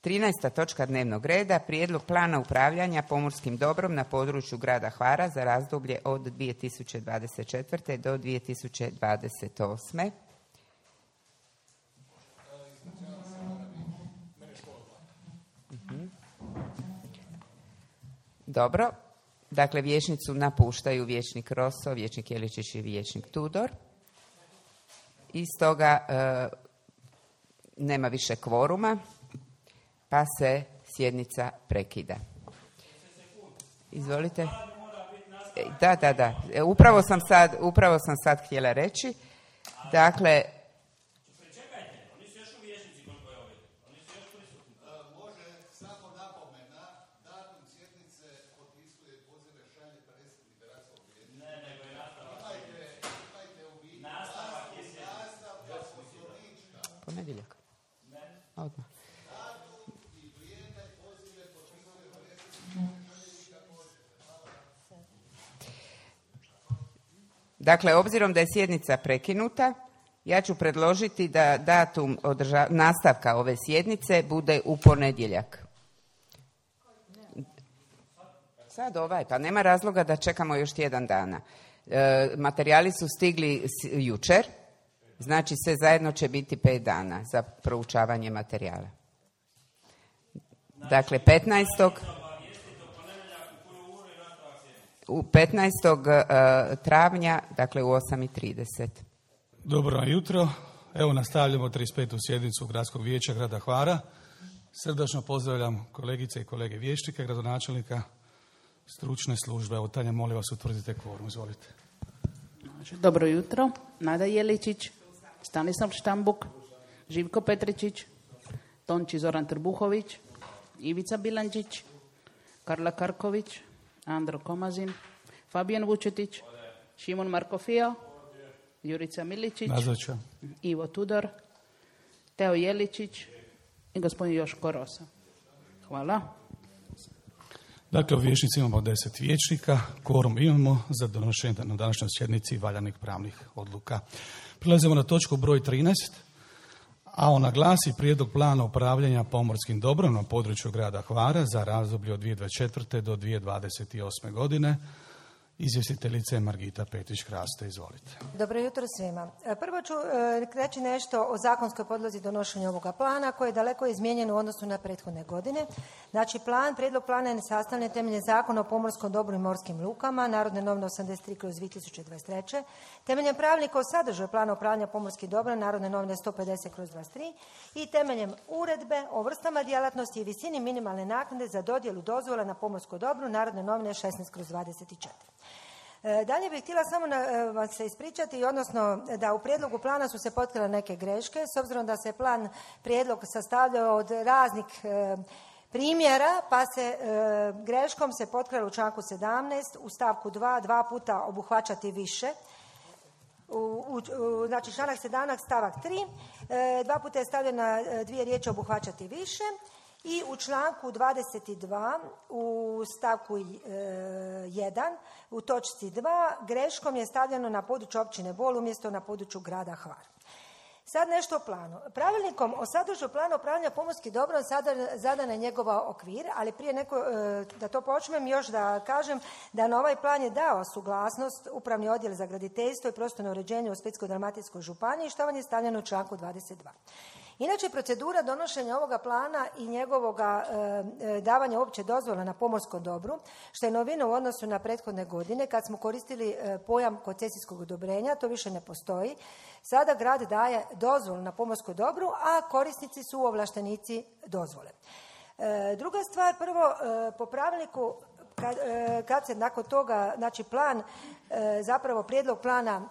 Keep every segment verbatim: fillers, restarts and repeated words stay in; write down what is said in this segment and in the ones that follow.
trinaesta točka dnevnog reda, prijedlog plana upravljanja pomorskim dobrom na području grada Hvara za razdoblje od dvije tisuće dvadeset četvrte. do dvije tisuće dvadeset osme. Dobro. Dakle, vijećnicu napuštaju vijećnik Rosso, vijećnik Jeličić i vijećnik Tudor. I stoga e, nema više kvoruma, pa se sjednica prekida. Izvolite. Da, da, da. Upravo sam sad, upravo sam sad htjela reći. Dakle, ponedjeljak. Odmah. Dakle, obzirom da je sjednica prekinuta, ja ću predložiti da datum održa- nastavka ove sjednice bude u ponedjeljak. Sad ovaj, pa nema razloga da čekamo još tjedan dana. E, materijali su stigli s- jučer, znači sve zajedno će biti pet dana za proučavanje materijala. Dakle, petnaestog u petnaestog travnja, dakle u osam i trideset. Dobro jutro. Evo nastavljamo trideset petu sjednicu Gradskog vijeća grada Hvara. Srdačno pozdravljam kolegice i kolege vijećnika, gradonačelnika, stručne službe. Evo, Tanja, molim vas, utvrdite kvorum. Izvolite. Dobro jutro. Nada Jeličić, Stanislav Štambuk, Živko Petričić, Tonči Zoran Trbuhović, Ivica Bilančić, Karla Karković, Andro Komazin, Fabijan Vučetić, Šimon Markofija, Jurica Miličić, Nazočan. Ivo Tudor, Teo Jeličić i gospodin Joško Rosa. Hvala. Dakle, u vijećnici imamo deset vijećnika, kvorum imamo za donošenje na današnjoj sjednici valjanih pravnih odluka. Prilazimo na točku broj trinaest, a ona glasi prijedlog plana upravljanja pomorskim dobrom na području grada Hvara za razdoblje od dvije tisuće dvadeset četvrte. do dvije tisuće dvadeset osme. godine. Izvjestiteljica je Margita Petrić-Kraste, izvolite. Dobro jutro svima. Prvo ću e, reći nešto o zakonskoj podlozi donošenja ovoga plana koji je daleko izmijenjen u odnosu na prethodne godine. Znači, plan, prijedlog plana je sastavljen temeljem Zakona o pomorskom dobru i morskim lukama, Narodne novine osamdeset tri kroz dvije tisuće dvadeset treće. Temeljem pravilnika o sadržaju plana upravljanja pomorskim dobrom, Narodne novine sto pedeset kroz dvadeset tri i temeljem uredbe o vrstama djelatnosti i visini minimalne naknade za dodjelu dozvola na pomorskom dobru, Narodne novine šesnaest kroz dvadeset četiri. Dalje bih htjela samo na, vam se ispričati, odnosno da u prijedlogu plana su se potkrile neke greške, s obzirom da se plan prijedlog sastavljao od raznih e, primjera, pa se e, greškom se potkralo u članku sedamnaest, u stavku dva, dva puta obuhvaćati više. U, u, u, znači članak sedamnaest stavak tri, e, dva puta je stavljena dvije riječi obuhvaćati više. I u članku dvadeset dva u stavku jedan u točci dva greškom je stavljeno na području općine Bol umjesto na području grada Hvar. Sad nešto o planu. Pravilnikom o sadržaju plana upravljanja pomorskim dobrom zadan je njegova okvir, ali prije neko, da to počnem još da kažem da na ovaj plan je dao suglasnost Upravni odjel za graditeljstvo i prostorno uređenje u Splitsko-dalmatinskoj županiji, što vam je stavljeno u članku dvadeset dva. Inače, procedura donošenja ovoga plana i njegovoga e, davanja opće dozvola na pomorskom dobru, što je novina u odnosu na prethodne godine, kad smo koristili e, pojam koncesijskog odobrenja, to više ne postoji. Sada grad daje dozvolu na pomorskom dobru, a korisnici su ovlaštenici dozvole. E, druga stvar, prvo, e, po pravilniku, kad, e, kad se nakon toga, znači plan, e, zapravo prijedlog plana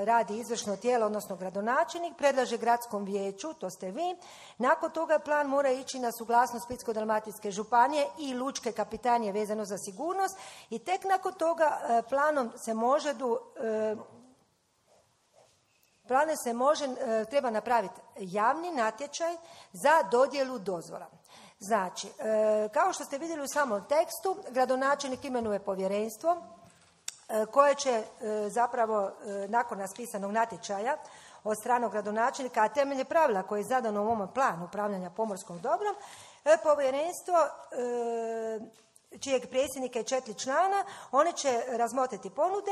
radi izvršno tijelo, odnosno gradonačelnik, predlaže gradskom vijeću, to ste vi. Nakon toga plan mora ići na suglasnost Splitsko-dalmatinske županije i lučke kapetanije vezano za sigurnost i tek nakon toga planom se može du, planom se može, treba napraviti javni natječaj za dodjelu dozvola. Znači, kao što ste vidjeli u samom tekstu, gradonačelnik imenuje povjerenstvo koje će zapravo nakon raspisanog natječaja od strane gradonačelnika, a temelje pravila koje je zadano u ovom planu upravljanja pomorskom dobrom, Povjerenstvo čijeg predsjednika je četiri člana, oni će razmotriti ponude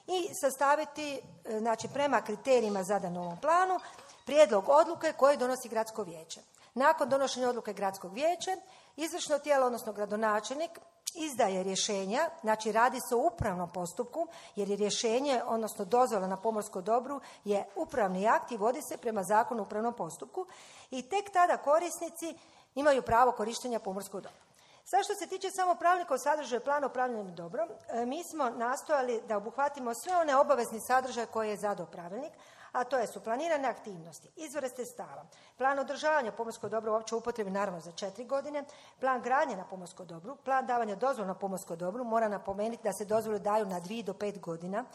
i sastaviti, znači prema kriterijima zadanom ovom planu, prijedlog odluke koje donosi gradsko vijeće. Nakon donošenja odluke gradskog vijeća, izvršno tijelo, odnosno gradonačelnik, izdaje rješenja, znači radi se o upravnom postupku, jer je rješenje, odnosno dozvola na pomorskom dobru je upravni akt i vodi se prema zakonu o upravnom postupku i tek tada korisnici imaju pravo korištenja pomorskog dobra. Sad što se tiče samo pravilnika o sadržaju plana upravljanja dobrom, mi smo nastojali da obuhvatimo sve one obavezni sadržaje koje je zadao pravilnik, a to je su planirane aktivnosti, izvore sredstava, plan održavanja pomorskog dobra u općoj upotrebi naravno za četiri godine, plan gradnje na pomorskom dobru, plan davanja dozvola na pomorskom dobru, mora napomenuti da se dozvole daju na dvije do pet godina,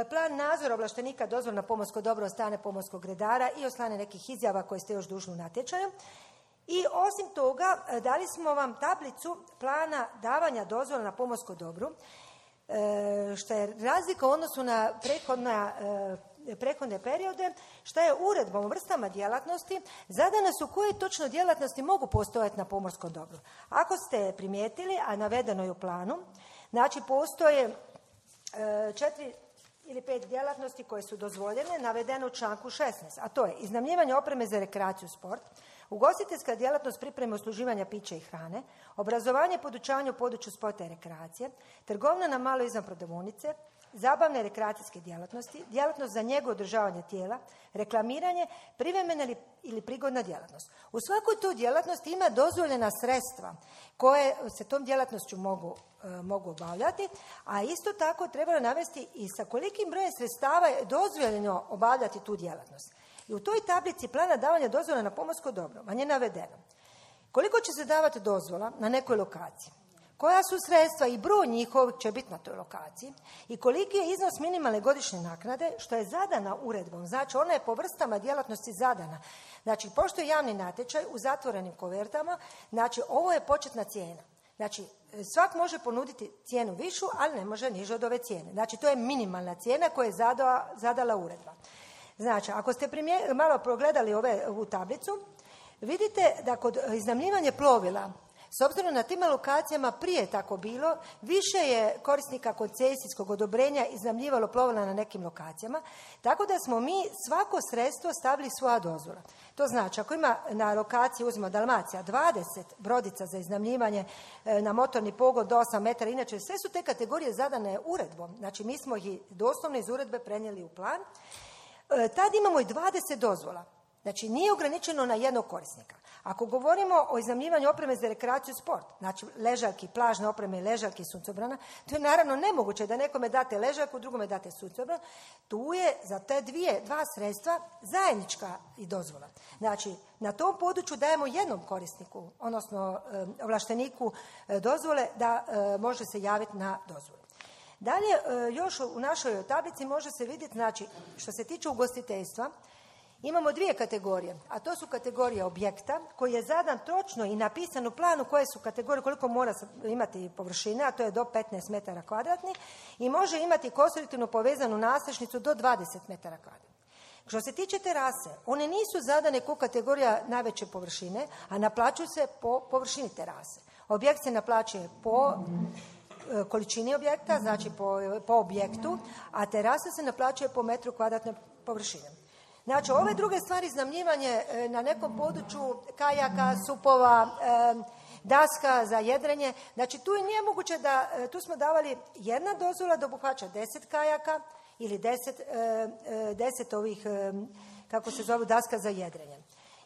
plan nadzora ovlaštenika dozvola na pomorsko dobro od strane pomorskog redara i od strane nekih izjava koje ste još dužni u natječaju. I osim toga, dali smo vam tablicu plana davanja dozvola na pomorskom dobru, što je razlika u odnosu na prethodna, prethodne periode, što je uredbom o vrstama djelatnosti zadane su koje točno djelatnosti mogu postojati na pomorskom dobru. Ako ste primijetili, a navedeno je u planu, znači postoje četiri ili pet djelatnosti koje su dozvoljene, navedeno u članku šesnaest, a to je iznajmljivanje opreme za rekreaciju i sport, ugostiteljska djelatnost pripreme usluživanja pića i hrane, obrazovanje i podučavanje u području sporta i rekreacije, trgovina na malo izvan prodavaonice, zabavne i rekreacijske djelatnosti, djelatnost za njegu održavanja tijela, reklamiranje, privremena ili, ili prigodna djelatnost. U svakoj tu djelatnosti ima dozvoljena sredstva koje se tom djelatnošću mogu, e, mogu obavljati, a isto tako treba navesti i sa kolikim brojem sredstava je dozvoljeno obavljati tu djelatnost. I u toj tablici plana davanja dozvola na pomorsko dobro vam je navedeno koliko će se davati dozvola na nekoj lokaciji, koja su sredstva i broj njihovih će biti na toj lokaciji i koliki je iznos minimalne godišnje naknade, što je zadana uredbom. Znači, ona je po vrstama djelatnosti zadana. Znači, pošto je javni natječaj u zatvorenim kovertama, znači, ovo je početna cijena. Znači, svak može ponuditi cijenu višu, ali ne može niže od ove cijene. Znači, to je minimalna cijena koju je zadala, zadala uredba. Znači, ako ste primjer, malo progledali ove, ovu tablicu, vidite da kod iznajmljivanja plovila, s obzirom na tim lokacijama prije tako bilo, više je korisnika koncesijskog odobrenja iznajmljivalo plovila na nekim lokacijama, tako da smo mi svako sredstvo stavili svoja dozvola. To znači, ako ima na lokaciji, uzmimo Dalmacija, dvadeset brodica za iznajmljivanje na motorni pogon do osam metara, inače sve su te kategorije zadane uredbom, znači mi smo ih doslovno iz uredbe prenijeli u plan, tad imamo i dvadeset dozvola. Znači, nije ograničeno na jednog korisnika. Ako govorimo o iznajmljivanju opreme za rekreaciju i sport, znači ležaljki, plažne opreme i ležaljki i suncobrana, to je naravno nemoguće da nekome date ležaljku, drugome date suncobran. Tu je za te dvije, dva sredstva zajednička i dozvola. Znači, na tom području dajemo jednom korisniku, odnosno ovlašteniku dozvole da može se javiti na dozvolu. Dalje, još u našoj tablici može se vidjeti, znači, što se tiče ugostiteljstva, imamo dvije kategorije, a to su kategorije objekta koji je zadan točno i napisan u planu koje su kategorije, koliko mora imati površine, a to je do petnaest metara kvadratnih i može imati konstruktivno povezanu nadstrešnicu do dvadeset metara kvadratnih. Što se tiče terase, one nisu zadane kao kategorija najveće površine, a naplaćuju se po površini terase. Objekt se naplaćuje po količini objekta, znači po, po objektu, a terasa se naplaćuje po metru kvadratne površine. Znači, ove druge stvari, iznajmljivanje na nekom području kajaka, supova, daska za jedrenje, znači tu je nije moguće da, tu smo davali jedna dozvola da obuhvaća deset kajaka ili deset, deset ovih, kako se zove, daska za jedrenje.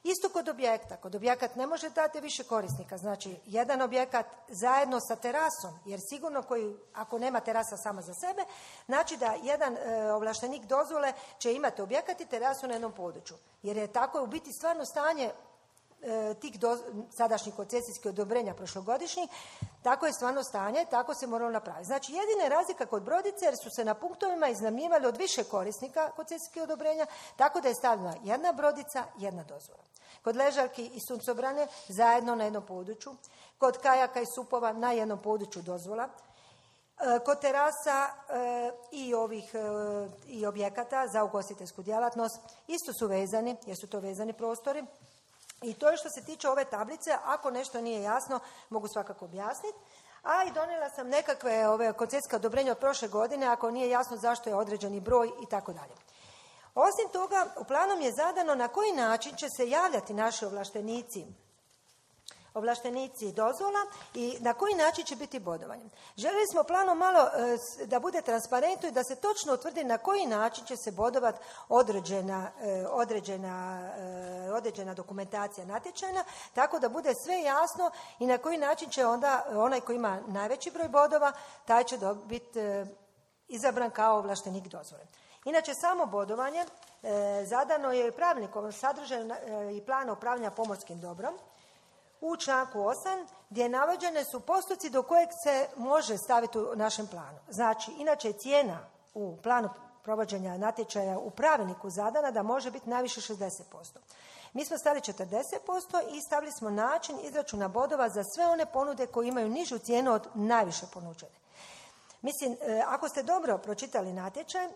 Isto kod objekta. Kod objekat ne može dati više korisnika. Znači, jedan objekat zajedno sa terasom, jer sigurno koji, ako nema terasa sama za sebe, znači da jedan e, ovlaštenik dozvole će imati objekat i terasu na jednom području. Jer je tako u biti stvarno stanje e, tih do, sadašnjih koncesijskih odobrenja prošlogodišnjih, tako je stvarno stanje, tako se moralo napraviti. Znači, jedina je razlika kod brodice, jer su se na punktovima iznajmljivali od više korisnika koncesijskih odobrenja, tako da je stavljena jedna brodica, jedna dozvola. Kod ležaljki i suncobrane zajedno na jednom području, kod kajaka i supova na jednom području dozvola, kod terasa i ovih i objekata za ugostiteljsku djelatnost isto su vezani, jer su to vezani prostori. I to je što se tiče ove tablice. Ako nešto nije jasno, mogu svakako objasniti. A i donijela sam nekakve ove koncesijska odobrenja od prošle godine, ako nije jasno zašto je određeni broj i tako dalje. Osim toga, u planom je zadano na koji način će se javljati naši ovlaštenici ovlaštenici dozvola i na koji način će biti bodovanje. Željeli smo planom malo e, da bude transparentno i da se točno utvrdi na koji način će se bodovati određena, e, određena, e, određena dokumentacija natječajna, tako da bude sve jasno i na koji način će onda onaj koji ima najveći broj bodova, taj će biti e, izabran kao ovlaštenik dozvole. Inače, samo bodovanje e, zadano je pravilnikom sadržaju e, i plana upravljanja pomorskim dobrom u članku osam, gdje navođene su postupci do kojeg se može staviti u našem planu. Znači, inače je cijena u planu provođenja natječaja u pravilniku zadana da može biti najviše šezdeset posto. Mi smo stavili četrdeset posto i stavili smo način izračuna bodova za sve one ponude koje imaju nižu cijenu od najviše ponuđene. Mislim, ako ste dobro pročitali natječaj,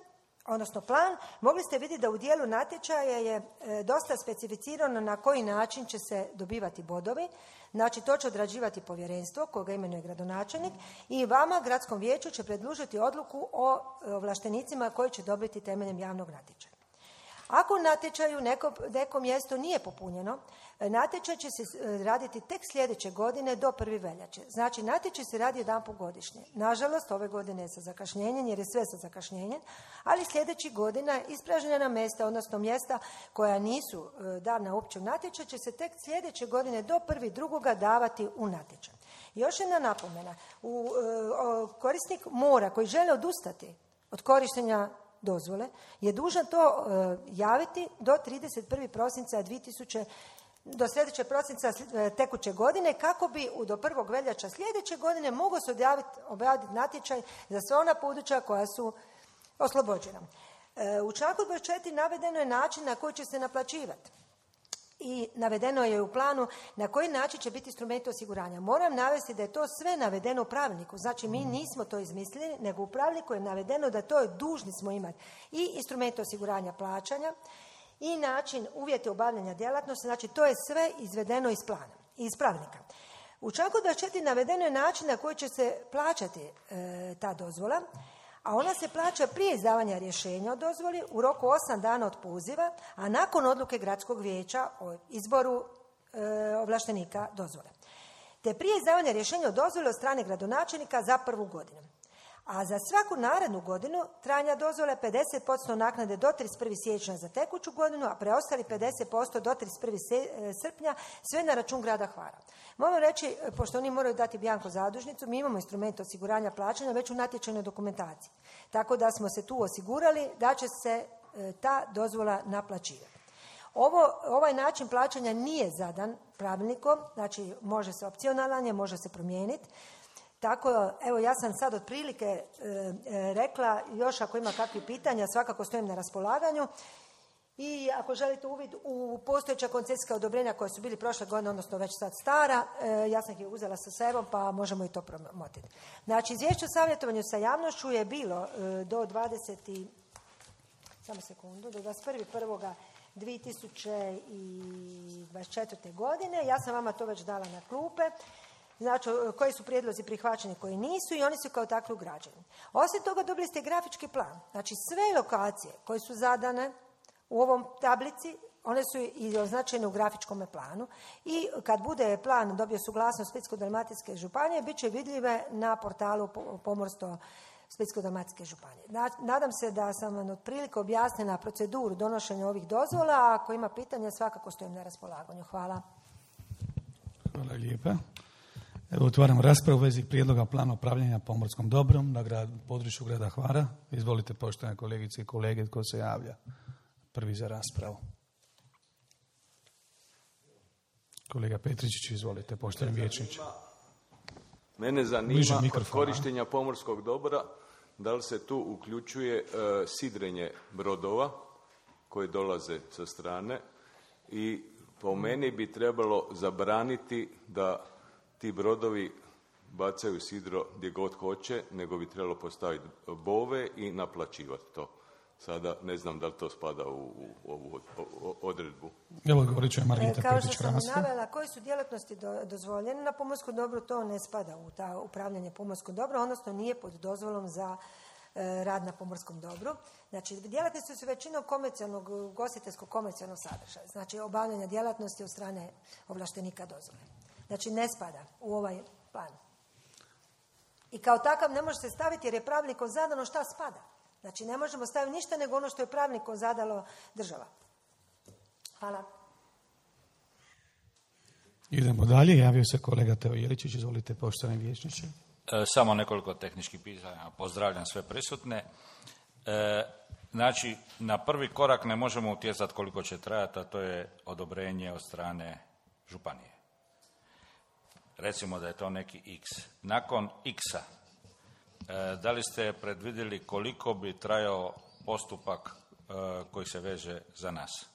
odnosno plan, mogli ste vidjeti da u dijelu natječaja je dosta specificirano na koji način će se dobivati bodovi. Znači, to će odrađivati povjerenstvo koga imenuje gradonačelnik i vama, gradskom vijeću, će predložiti odluku o ovlaštenicima koji će dobiti temeljem javnog natječaja. Ako u natječaju neko, neko mjesto nije popunjeno, natječaj će se raditi tek sljedeće godine do prve veljače. Znači, natječaj se radi jedanput godišnje. Nažalost, ove godine je sa zakašnjenjem, jer je sve sa zakašnjenjem, ali sljedećih godina ispražnjena mjesta, odnosno mjesta koja nisu dana uopće u natječaj, će se tek sljedeće godine do prve drugoga davati u natječaj. Još jedna napomena. U, o, korisnik mora koji žele odustati od korištenja dozvole je dužan to uh, javiti do trideset prvog prosinca dvije tisuće do sljedećeg prosinca tekuće godine, kako bi do prvog veljača sljedeće godine mogao se objaviti natječaj za sva ona područja koja su oslobođena. Uh, u članku dvadeset četiri navedeno je način na koji će se naplaćivati. I navedeno je u planu na koji način će biti instrumenti osiguranja. Moram navesti da je to sve navedeno u pravilniku. Znači, mi nismo to izmislili, nego u pravilniku je navedeno da to je dužni smo imati i instrumenti osiguranja plaćanja i način uvjeti obavljanja djelatnosti. Znači, to je sve izvedeno iz plana, iz pravilnika. U članku dvadeset četiri navedeno je način na koji će se plaćati e, ta dozvola, a ona se plaća prije izdavanja rješenja o dozvoli u roku osam dana od poziva, a nakon odluke gradskog vijeća o izboru e, ovlaštenika dozvole. Te prije izdavanja rješenja o dozvoli od strane gradonačelnika za prvu godinu. A za svaku narednu godinu trajanja dozvole pedeset posto naknade do trideset prvog siječnja za tekuću godinu, a preostali pedeset posto do trideset prvog srpnja, sve na račun grada Hvara. Moram reći, pošto oni moraju dati bjanko zadužnicu, mi imamo instrument osiguranja plaćanja već u natječajnoj dokumentaciji. Tako da smo se tu osigurali da će se e, ta dozvola naplaćivati. Ovo, ovaj način plaćanja nije zadan pravilnikom, znači može se opcionalan je, može se promijeniti. Tako, evo, ja sam sad otprilike e, e, rekla, još ako ima kakvih pitanja, svakako stojim na raspolaganju. I ako želite uvid u postojeća koncesijska odobrenja koja su bili prošle godine, odnosno već sad stara, e, ja sam ih uzela sa sebom, pa možemo i to promotiti. Znači, izvješće o savjetovanju sa javnošću je bilo e, do dvadeset samo sekundu, do dvadeset prvog prvog dvije tisuće dvadeset četvrte godine. Ja sam vama to već dala na klupe. Znači, koji su prijedlozi prihvaćeni, koji nisu, i oni su kao takvi ugrađeni. Osim toga, dobili ste grafički plan. Znači, sve lokacije koje su zadane u ovom tablici, one su i označene u grafičkom planu. I kad bude plan dobio suglasnost Splitsko-dalmatinske županije, bit će vidljive na portalu Pomorstvo Splitsko-dalmatinske županije. Nadam se da sam vam otprilike objasnila proceduru donošenja ovih dozvola, a ako ima pitanja, svakako stojim na raspolaganju. Hvala. Hvala lijepa. Evo, otvaram raspravu u vezi prijedloga plana upravljanja pomorskom dobrom na grad, području grada Hvara. Izvolite, poštovane kolegice i kolege, tko se javlja prvi za raspravu. Kolega Petričić, izvolite, poštovani vijećniče. Mene zanima kod korištenja pomorskog dobra, da li se tu uključuje uh, sidrenje brodova koji dolaze sa strane, i po meni bi trebalo zabraniti da ti brodovi bacaju sidro gdje god hoće, nego bi trebalo postaviti bove i naplaćivati to. Sada ne znam da li to spada u, u ovu odredbu. Evo govorit ću je Margita Kao što Petić-Krasno. sam navela, koje su djelatnosti do, dozvoljene na pomorskom dobru, to ne spada u ta upravljanje pomorskom dobru, odnosno nije pod dozvolom za e, rad na pomorskom dobru. Znači, djelatnosti su većinom komercijalnog, ugostiteljskog komercijalnog sadržaja, znači obavljanja djelatnosti od strane ovlaštenika dozvole. Znači, ne spada u ovaj plan. I kao takav ne može se staviti jer je pravilnikom zadano šta spada. Znači, ne možemo staviti ništa nego ono što je pravilnikom zadalo država. Hvala. Idemo dalje. Javio se kolega Teo Jeličić. Izvolite, poštovani vijećniče. E, samo nekoliko tehničkih pitanja. Pozdravljam sve prisutne. E, znači, na prvi korak ne možemo utjecati koliko će trajati, a to je odobrenje od strane županije. Recimo da je to neki X. Nakon X-a, e, da li ste predvidjeli koliko bi trajao postupak e, koji se veže za nas?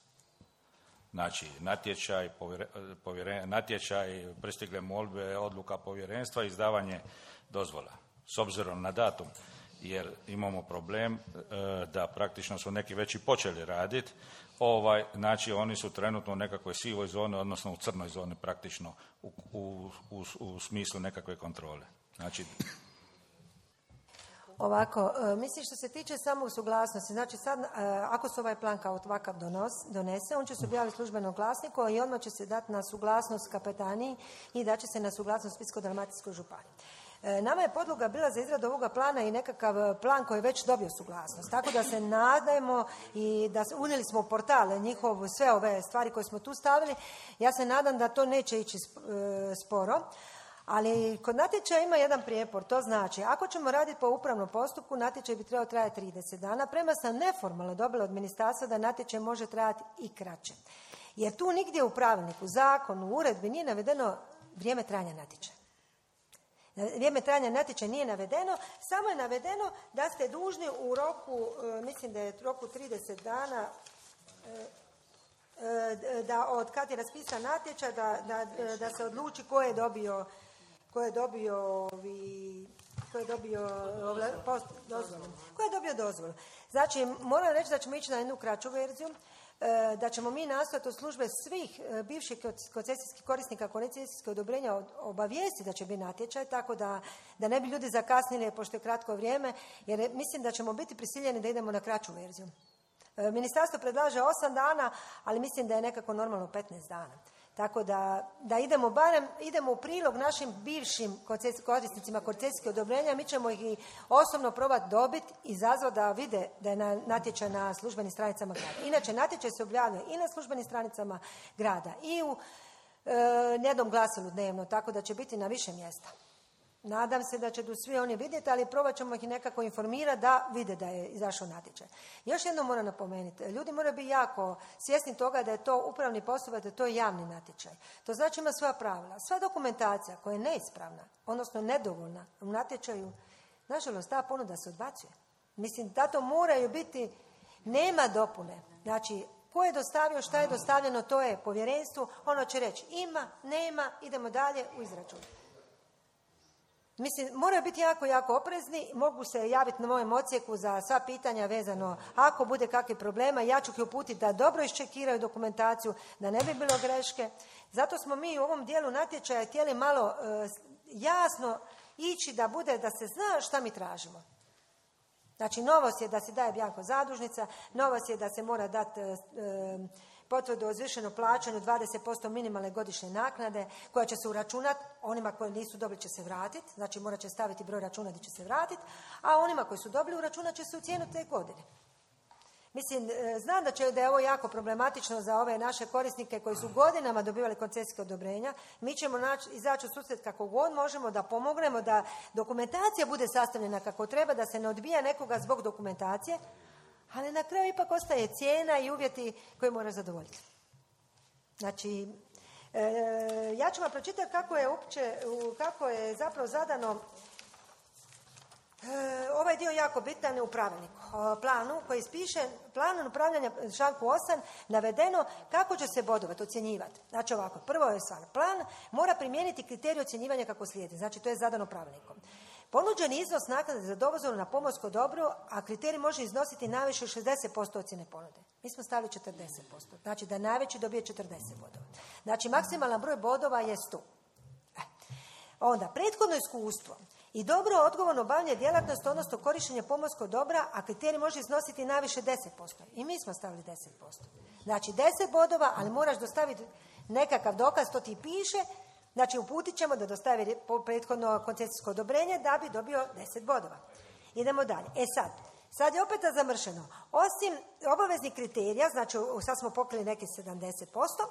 Znači, natječaj, povjere, povjere, natječaj, pristigle molbe, odluka povjerenstva, izdavanje dozvola. S obzirom na datum, jer imamo problem e, da praktično su neki već i počeli raditi, ovaj, znači oni su trenutno u nekakvoj sivoj zoni, odnosno u crnoj zoni praktično u, u, u, u smislu nekakve kontrole. Znači, Ovako, mislim što se tiče samog suglasnosti, znači sad ako se ovaj plan kao ovakav donos, donese, on će se objaviti službenom glasniku i odmah će se dati na suglasnost kapetaniji i da će se na suglasnost Splitsko-dalmatinskoj županiji. Nama je podloga bila za izradu ovoga plana i nekakav plan koji je već dobio suglasnost. Tako da se nadajmo i da unijeli smo u portale njihov sve ove stvari koje smo tu stavili. Ja se nadam da to neće ići sporo. Ali kod natječaja ima jedan prijepor, to znači ako ćemo raditi po upravnom postupku, natječaj bi trebao trajati trideset dana, prema sam neformalno dobila od ministarstva da natječaj može trajati i kraće. Jer tu nigdje u pravilniku, zakonu, uredbi nije navedeno vrijeme trajanja natječaja. Vrijeme trajanja natječaja nije navedeno, samo je navedeno da ste dužni u roku, mislim da je roku trideset dana, da od kad je raspisan natječaj, da, da, da se odluči ko je dobio ko je dobio ovi, ko je dobio post, dozvolu. Ko je dobio dozvolu. Znači, moram reći da ćemo ići na jednu kraću verziju, da ćemo mi nastojati od službe svih bivših koncesijskih korisnika koncesijskih odobrenja obavijesti da će biti natječaj, tako da, da ne bi ljudi zakasnili pošto je kratko vrijeme, jer mislim da ćemo biti prisiljeni da idemo na kraću verziju. Ministarstvo predlaže osam dana, ali mislim da je nekako normalno petnaest dana. Tako da, da idemo barem, idemo u prilog našim bivšim korisnicima koncesijskih odobrenja, mi ćemo ih i osobno probati dobiti i izazvati da vide da je na, natječaj na službenim stranicama grada. Inače, natječaj se objavljuje i na službenim stranicama grada i u e, jednom glasilu dnevno, tako da će biti na više mjesta. Nadam se da će tu svi oni vidjeti, ali probat ćemo ih nekako informirati da vide da je izašao natječaj. Još jedno moram napomenuti, ljudi moraju biti jako svjesni toga da je to upravni postupak, da je to javni natječaj. To znači ima svoja pravila. Sva dokumentacija koja je neispravna, odnosno nedovoljna u natječaju, nažalost ta ponuda se odbacuje. Mislim da to moraju biti, nema dopune. Znači, ko je dostavio, šta je dostavljeno, to je povjerenstvu, ono će reći ima, nema, idemo dalje u izračun. Mislim, moraju biti jako, jako oprezni, mogu se javiti na mojem odsjeku za sva pitanja vezano, ako bude kakvih problema, ja ću ih uputiti da dobro iščekiraju dokumentaciju, da ne bi bilo greške. Zato smo mi u ovom dijelu natječaja htjeli malo e, jasno ići da bude, da se zna šta mi tražimo. Znači, novost je da se daje bjanko zadužnica, novost je da se mora dati e, potvrdu o izvršenom plaćanju dvadeset posto minimalne godišnje naknade koja će se uračunati, onima koji nisu dobili će se vratiti, znači morat će staviti broj računa gdje će se vratiti, a onima koji su dobili uračunat će se u cijenu te godine. Mislim, znam da, će, da je ovo jako problematično za ove naše korisnike koji su godinama dobivali koncesijske odobrenja. Mi ćemo naći, izaći u susret kako god možemo da pomognemo da dokumentacija bude sastavljena kako treba, da se ne odbija nekoga zbog dokumentacije, ali na kraju ipak ostaje cijena i uvjeti koje mora zadovoljiti. Znači, e, ja ću vam pročitati kako je, uopće, kako je zapravo zadano e, ovaj dio jako bitan u pravilniku. O planu koji spiše, planom upravljanja članku osam navedeno kako će se bodovati, ocjenjivati. Znači ovako, prvo je stvar, plan mora primijeniti kriterij ocjenjivanja kako slijedi. Znači to je zadano pravilnikom. Ponuđeni iznos naknade za dozvolu na pomorsko dobro, a kriterij može iznositi najviše šezdeset posto ocjene ponude. Mi smo stavili četrdeset posto. Znači da najveći dobije četrdeset bodova. Znači maksimalan broj bodova je sto. E. Onda, prethodno iskustvo i dobro odgovorno obavljanje djelatnosti, odnosno korištenje pomorskog dobra, a kriterij može iznositi najviše deset posto. I mi smo stavili deset posto. Znači deset bodova, ali moraš dostaviti nekakav dokaz, to ti piše. Znači uputit ćemo da dostavi prethodno koncesijsko odobrenje da bi dobio deset bodova. Idemo dalje. E sad, sad je opet zamršeno. Osim obaveznih kriterija, znači sad smo pokrili neki sedamdeset posto,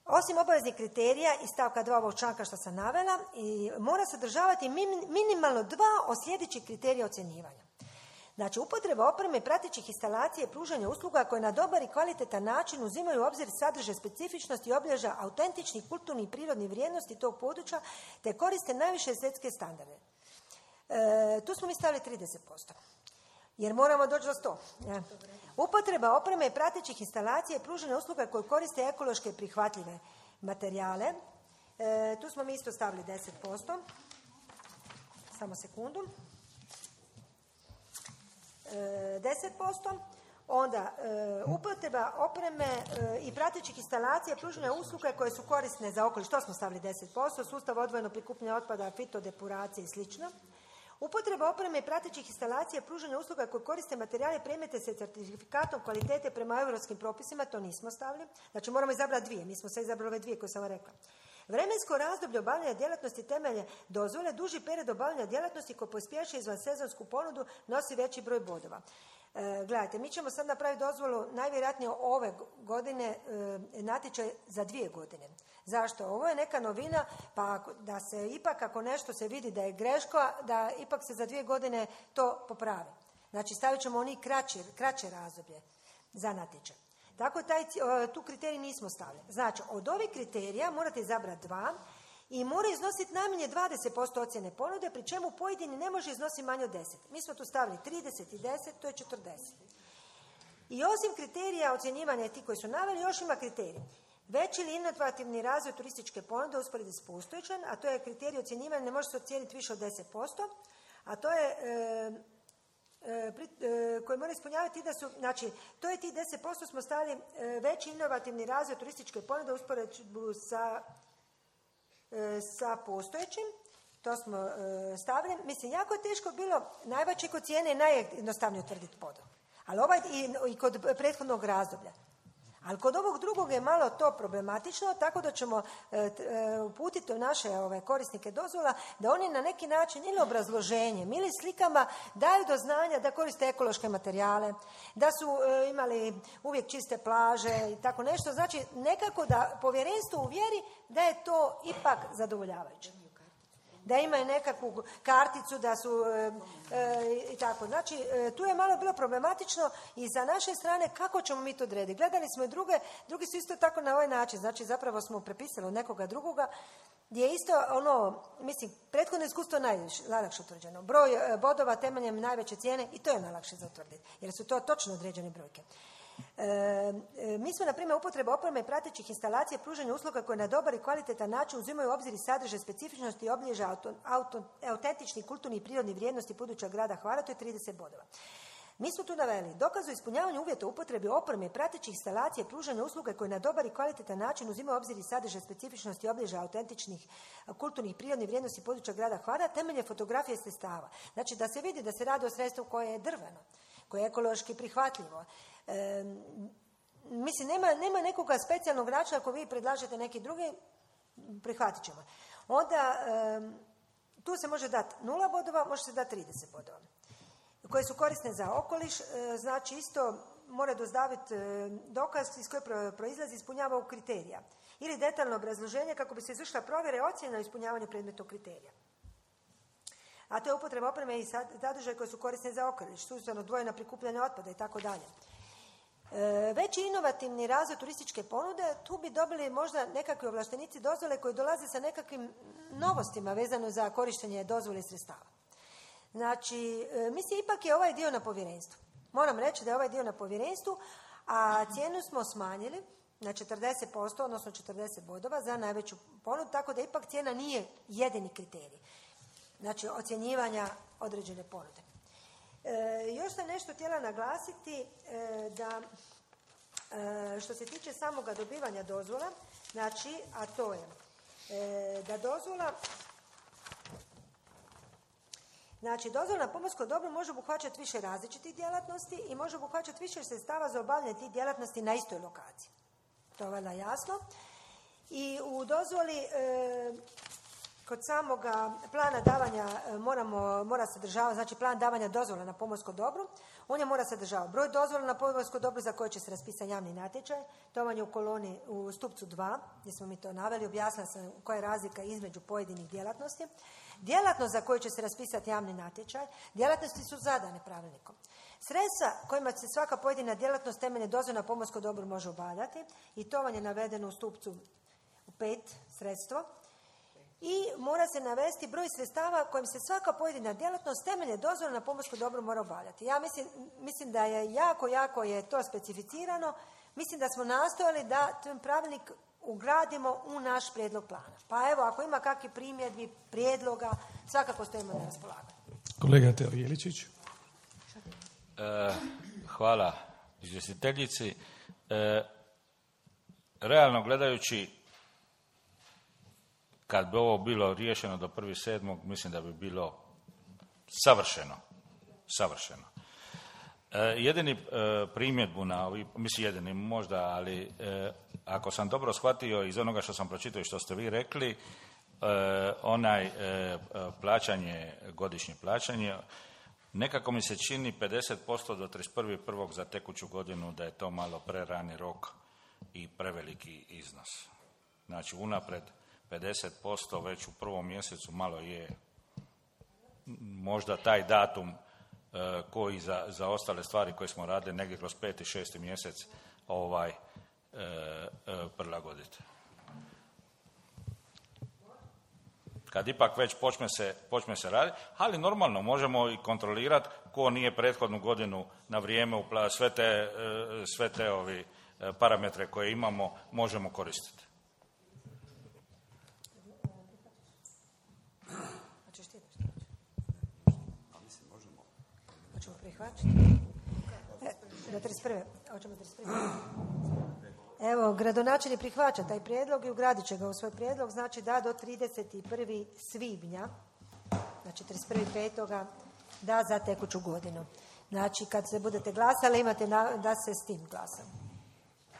osim obaveznih kriterija iz stavka dva ovog članka što sam navela, i mora sadržavati minimalno dva od sljedećih kriterija ocjenjivanja. Znači, upotreba opreme, pratećih instalacija i pružanja usluga koje na dobar i kvalitetan način uzimaju u obzir sadržaj specifičnosti i obilježja autentičnih, kulturnih i prirodnih vrijednosti tog područja, te koriste najviše svjetske standarde. E, tu smo mi stavili trideset posto. Jer moramo doći do sto. Ja. Upotreba opreme i pratećih instalacija i pružanja usluga koje koriste ekološke prihvatljive materijale. E, tu smo mi isto stavili deset posto. Samo sekundu. deset posto, onda e, upotreba opreme e, i pratećih instalacija pružanja usluga koje su korisne za okoliš, to smo stavili deset posto, sustav odvojeno prikupljanja otpada, fitodepuracije i slično. Upotreba opreme i pratećih instalacija pružanja usluga koje koriste materijale i predmete sa certifikatom kvalitete prema europskim propisima, to nismo stavili. Znači moramo izabrati dvije, mi smo sve izabrali ove dvije koje sam vam rekla. Vremensko razdoblje obavljanja djelatnosti temelje dozvole, duži period obavljanja djelatnosti koji pospješuje izvansezonsku ponudu nosi veći broj bodova. E, gledajte, mi ćemo sad napraviti dozvolu najvjerojatnije ove godine e, natječaj za dvije godine. Zašto? Ovo je neka novina, pa da se ipak ako nešto se vidi da je greška, da ipak se za dvije godine to popravi. Znači stavit ćemo oni kraće, kraće razdoblje za natječaj. Tako taj, tu kriterij nismo stavili. Znači, od ovih kriterija morate izabrati dva i mora iznositi najmanje dvadeset posto ocjene ponude, pri čemu pojedini ne može iznositi manje od deset. Mi smo tu stavili trideset i deset, to je četrdeset. I osim kriterija ocjenjivanja ti koji su naveli, još ima kriterij. Veći ili inovativni razvoj turističke ponude usporedi s postojećom, a to je kriterij ocjenjivanja, ne može se ocijeniti više od deset posto, a to je... E, koji mora ispunjavati da su, znači, to je ti deset posto smo stavili veći inovativni razvoj turističke ponude usporedbu sa, sa postojećim, to smo stavili. Mislim, jako je teško bilo najveće kod cijene i najjednostavnije utvrditi podom. Ali ovaj i, i kod prethodnog razdoblja. Ali kod ovog drugog je malo to problematično, tako da ćemo e, e, uputiti naše ove, korisnike dozvola da oni na neki način ili obrazloženjem ili slikama daju do znanja da koriste ekološke materijale, da su e, imali uvijek čiste plaže i tako nešto. Znači nekako da povjerenstvo uvjeri da je to ipak zadovoljavajuće. Da imaju nekakvu karticu, da su e, e, i tako. Znači, e, tu je malo bilo problematično i za naše strane kako ćemo mi to odrediti. Gledali smo i druge, drugi su isto tako na ovaj način. Znači, zapravo smo prepisali od nekoga drugoga, gdje je isto ono, mislim, prethodno iskustvo najlakše utvrđeno. Broj e, bodova temeljem najveće cijene i to je najlakše za utvrditi, jer su to točno određene brojke. E, e, mi smo, na primjer, upotreba opreme i pratećih instalacija pružanja usluga koje na dobar i kvalitetan način uzimaju u obzir i sadržaj specifičnosti i obilježja auto, auto, autentičnih kulturnih i prirodnih vrijednosti područja grada Hvara, to je trideset bodova. Mi smo tu naveli dokaz o ispunjavanju uvjeta upotrebe opreme i pratećih instalacija pružanja usluga koje na dobar i kvalitetan način uzimaju u obzir i sadržaj specifičnosti i obilježja autentičnih kulturnih i prirodnih vrijednosti područja grada Hvara, temelje fotografije sredstava. Znači da se vidi da se radi o sredstvu koje je drveno, koje je ekološki prihvatljivo. E, mislim, nema, nema nekoga specijalnog načina ako vi predlažete neki drugi, prihvatit ćemo. Onda e, tu se može dati nula bodova, može se dati trideset bodova. Koje su korisne za okoliš, e, znači isto mora dostaviti e, dokaz iz koje proizlazi ispunjava ovog kriterija. Ili detaljno obrazloženje kako bi se izvršila provjera i ocjena ispunjavanja predmetnog kriterija. A to je upotreba opreme i sadržaje koje su korisne za okoliš, sustavno odvojeno prikupljanje otpada i tako dalje. Veći inovativni razvoj turističke ponude, tu bi dobili možda nekakvi ovlaštenici dozvole koji dolaze sa nekakvim novostima vezano za korištenje dozvole i sredstava. Znači, mislim, ipak je ovaj dio na povjerenstvu. Moram reći da je ovaj dio na povjerenstvu, a cijenu smo smanjili na četrdeset posto, odnosno četrdeset bodova za najveću ponudu, tako da ipak cijena nije jedini kriterij. znači ocjenjivanja određene ponude. E, još sam nešto htjela naglasiti e, da e, što se tiče samoga dobivanja dozvola, znači, a to je e, da dozvola Znači, dozvola na pomorsko dobro može obuhvaćati više različitih djelatnosti i može obuhvaćati više sredstava za obavljanje tih djelatnosti na istoj lokaciji. To je valjda jasno. I u dozvoli e, kod samoga plana davanja e, moramo, mora sadržavati, znači plan davanja dozvola na pomorsko dobro, on je mora sadržavati broj dozvola na pomorsko dobro za koje će se raspisati javni natječaj. To vam je u koloni, u stupcu dva, gdje smo mi to naveli, objasnila sam koja je razlika između pojedinih djelatnosti. Djelatnost za koju će se raspisati javni natječaj, djelatnosti su zadane pravilnikom. Sredstva kojima se svaka pojedina djelatnost temeljem dozvola na pomorsko dobro može obavljati, i to vam je navedeno u stupcu pet, sredstvo. I mora se navesti broj sredstava kojim se svaka pojedina djelatnost temeljem dozvola na pomorsko dobro mora obavljati. Ja mislim, mislim da je jako, jako je to specificirano. Mislim da smo nastojali da ten pravilnik ugradimo u naš prijedlog plana. Pa evo, ako ima kakvi primjedbi, prijedloga, svakako stojimo na raspolaganju. Kolega Teo Jeličić. E, hvala izvjestiteljici. E, realno gledajući, kad bi ovo bilo riješeno do prvog sedmog, mislim da bi bilo savršeno. Savršeno. E, jedini e, primjedbu na ovi, mislim jedini možda, ali e, ako sam dobro shvatio iz onoga što sam pročitao i što ste vi rekli, e, onaj e, plaćanje, godišnje plaćanje, nekako mi se čini pedeset posto do trideset prvog prvog za tekuću godinu da je to malo prerani rok i preveliki iznos. Znači unapred pedeset posto već u prvom mjesecu malo je možda taj datum e, koji za, za ostale stvari koje smo radili negdje kroz peti, šesti mjesec ovaj e, e, prilagoditi. Kad ipak već počne se, počne se raditi, ali normalno možemo i kontrolirati ko nije prethodnu godinu na vrijeme upla, sve te, e, sve te ovi e, parametre koje imamo možemo koristiti. Do trideset prve. Hoćemo trideset prve. Evo, gradonačelnik prihvaća taj prijedlog i ugradit će ga u svoj prijedlog, znači da do trideset prvog svibnja, znači trideset prvog petog da za tekuću godinu. Znači, kad se budete glasali, imate na, da se s tim glasa.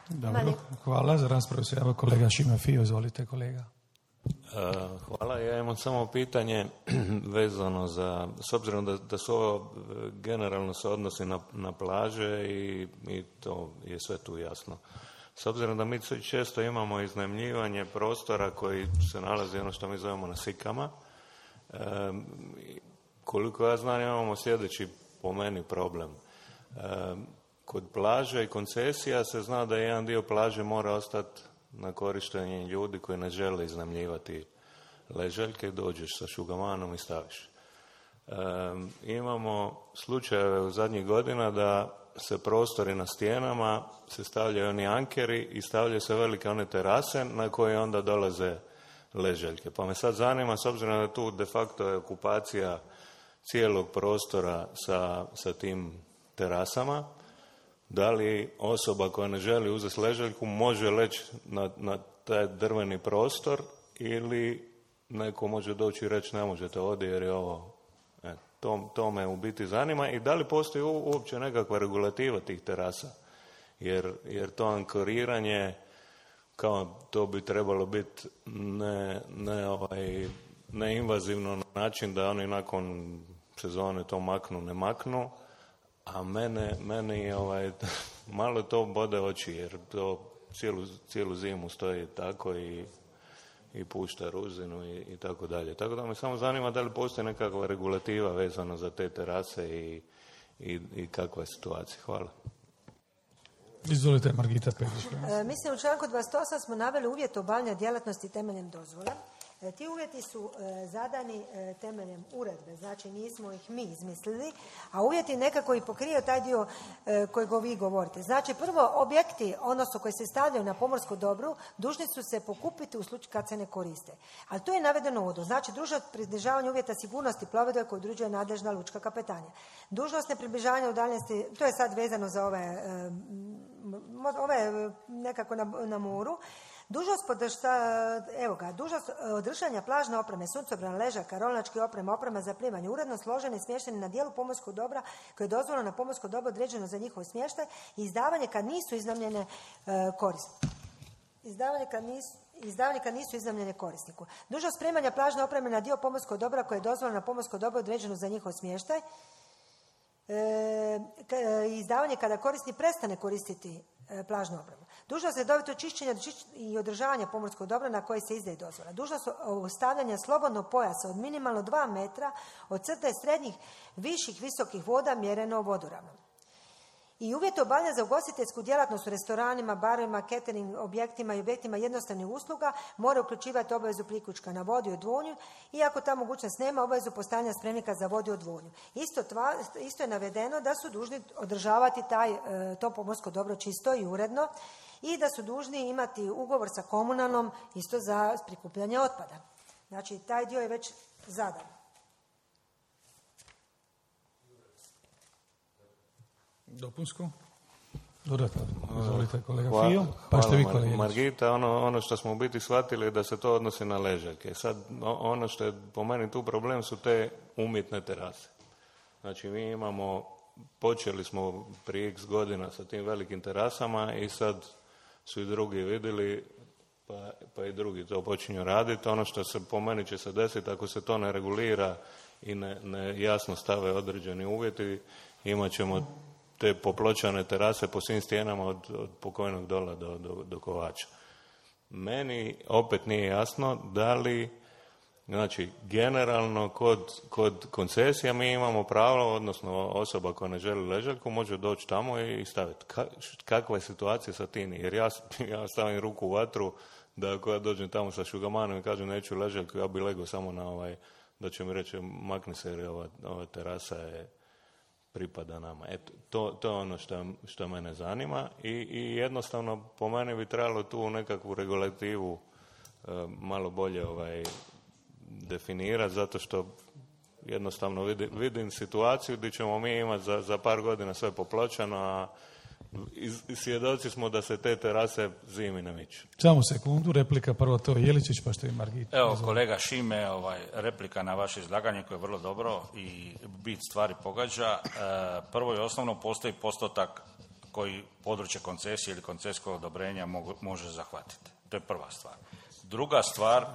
Dobro, Mali. Hvala. Za raspravu se javio kolega Šime Fio. Izvolite, kolega. Hvala, ja imam samo pitanje vezano za, s obzirom da, da su ovo generalno se odnosi na, na plaže i, i to je sve tu jasno. S obzirom da mi često imamo iznajmljivanje prostora koji se nalazi ono što mi zovemo na sikama, e, koliko ja znam imamo sljedeći po meni problem. E, kod plaže i koncesija se zna da jedan dio plaže mora ostati na korištenje ljudi koji ne žele iznajmljivati ležaljke, dođeš sa šugamanom i staviš. E, imamo slučajeve u zadnjih godina da se prostori na stijenama, se stavljaju oni ankeri i stavljaju se velike one terase na koje onda dolaze ležaljke. Pa me sad zanima, s obzirom da tu de facto je okupacija cijelog prostora sa, sa tim terasama, da li osoba koja ne želi uzeti ležaljku može leći na, na taj drveni prostor ili neko može doći i reći ne možete ovdje jer je ovo. E, to, to me u biti zanima. I da li postoji uopće nekakva regulativa tih terasa? Jer, jer to ankoriranje, kao to bi trebalo biti ne, ne, ovaj, neinvazivno na način da oni nakon sezone to maknu, ne maknu. A mene, meni ovaj, malo to bode oči, jer to cijelu, cijelu zimu stoji tako i, i pušta ruzinu i, i tako dalje. Tako da me samo zanima da li postoji nekakva regulativa vezana za te terase i, i, i kakva je situacija. Hvala. Izvolite, Margita Petrić. E, mislim, u članku dvadeset osam smo naveli uvjet obavljanja djelatnosti temeljem dozvole Ti uvjeti su e, zadani e, temeljem uredbe, znači nismo ih mi izmislili, a uvjeti nekako i pokriju taj dio e, kojeg vi govorite. Znači prvo, objekti, odnosno koji se stavljaju na pomorsko dobro, dužni su se pokupiti u slučaju kad se ne koriste. Ali to je navedeno u uvodu. Znači dužnost približavanja uvjeta sigurnosti plovidbe koju određuje nadležna lučka kapetanija. Dužnost nepribližavanja udaljenosti, to je sad vezano za ove, e, ove nekako na, na moru. Dužnost podršta, evo ga, dužnost održanja plažne opreme, suncobrana, ležaka, rolnačke opreme, oprema za plivanje, uredno složeni i smješteni na dijelu pomorskog dobra koje je dozvoljeno na pomorsko dobro određeno za njihov smještaj i izdavanje kad nisu iznajmljene e, korisniku. Izdavanje kad nisu Izdavanje kad nisu iznajmljene korisniku. Dužnost spremanja plažne opreme na dio pomorskog dobra koje je dozvoljeno na pomorsko dobro određeno za njihov smještaj. E, izdavanje kada korisnik prestane koristiti e, plažnu opremu. Dužnost redovito čišćenja i održavanja pomorskog dobra na koje se izdaje dozvola. Dužnost ostavljanja slobodnog pojasa od minimalno dva metra od crte srednjih, viših, visokih voda mjereno vodoravnom. I uvjeti obavljanja za ugostiteljsku djelatnost u restoranima, barovima, catering objektima i objektima jednostavnih usluga mora uključivati obavezu priključka na vodu i odvodnju, iako ta mogućnost nema, obavezu postavljanja spremnika za vodu i odvodnju. Isto, tva, isto je navedeno da su dužni održavati taj, to pomorsko dobro čisto i uredno i da su dužni imati ugovor sa komunalnom isto za prikupljanje otpada. Znači, taj dio je već zadan. Dopunsko? Dodatno. Izvolite kolega Hvala, Fio. Pa ste vi kolega Margita, ono, ono što smo u biti shvatili je da se to odnosi na ležake. Sad, ono što je po meni tu problem su te umjetne terase. Znači, mi imamo, počeli smo prije x godina sa tim velikim terasama i sad su i drugi vidjeli, pa, pa i drugi to počinju raditi. Ono što se po meni će se desiti, ako se to ne regulira i ne, ne jasno stave određeni uvjeti, imat ćemo te popločane terase po svim stijenama od, od pokojnog dola do, do, do Kovača. Meni opet nije jasno da li, znači, generalno kod, kod koncesija mi imamo pravo, odnosno osoba koja ne želi ležaljku može doći tamo i staviti. Ka, kakva je situacija sa tim? Jer ja, ja stavim ruku u vatru da ako ja dođem tamo sa šugamanom i kažem neću ležaljku, ja bi legao samo na ovaj, da će mi reći makni se jer ova, ova terasa je pripada nama. Eto, to, to je ono što, što mene zanima i, i jednostavno po meni bi trebalo tu nekakvu regulativu e, malo bolje ovaj, definirati, zato što jednostavno vidim, vidim situaciju gdje ćemo mi imati za, za par godina sve popločano, a iz, svjedoci smo da se te terase zimi ne miču. Samo sekundu, replika prvo to Jeličić, pa što je Margita. Evo, kolega Šime, ovaj, replika na vaše izlaganje koje je vrlo dobro i bit stvari pogađa. E, prvo i osnovno postoji postotak koji područje koncesije ili koncesijskog odobrenja mogu, može zahvatiti. To je prva stvar. Druga stvar, e,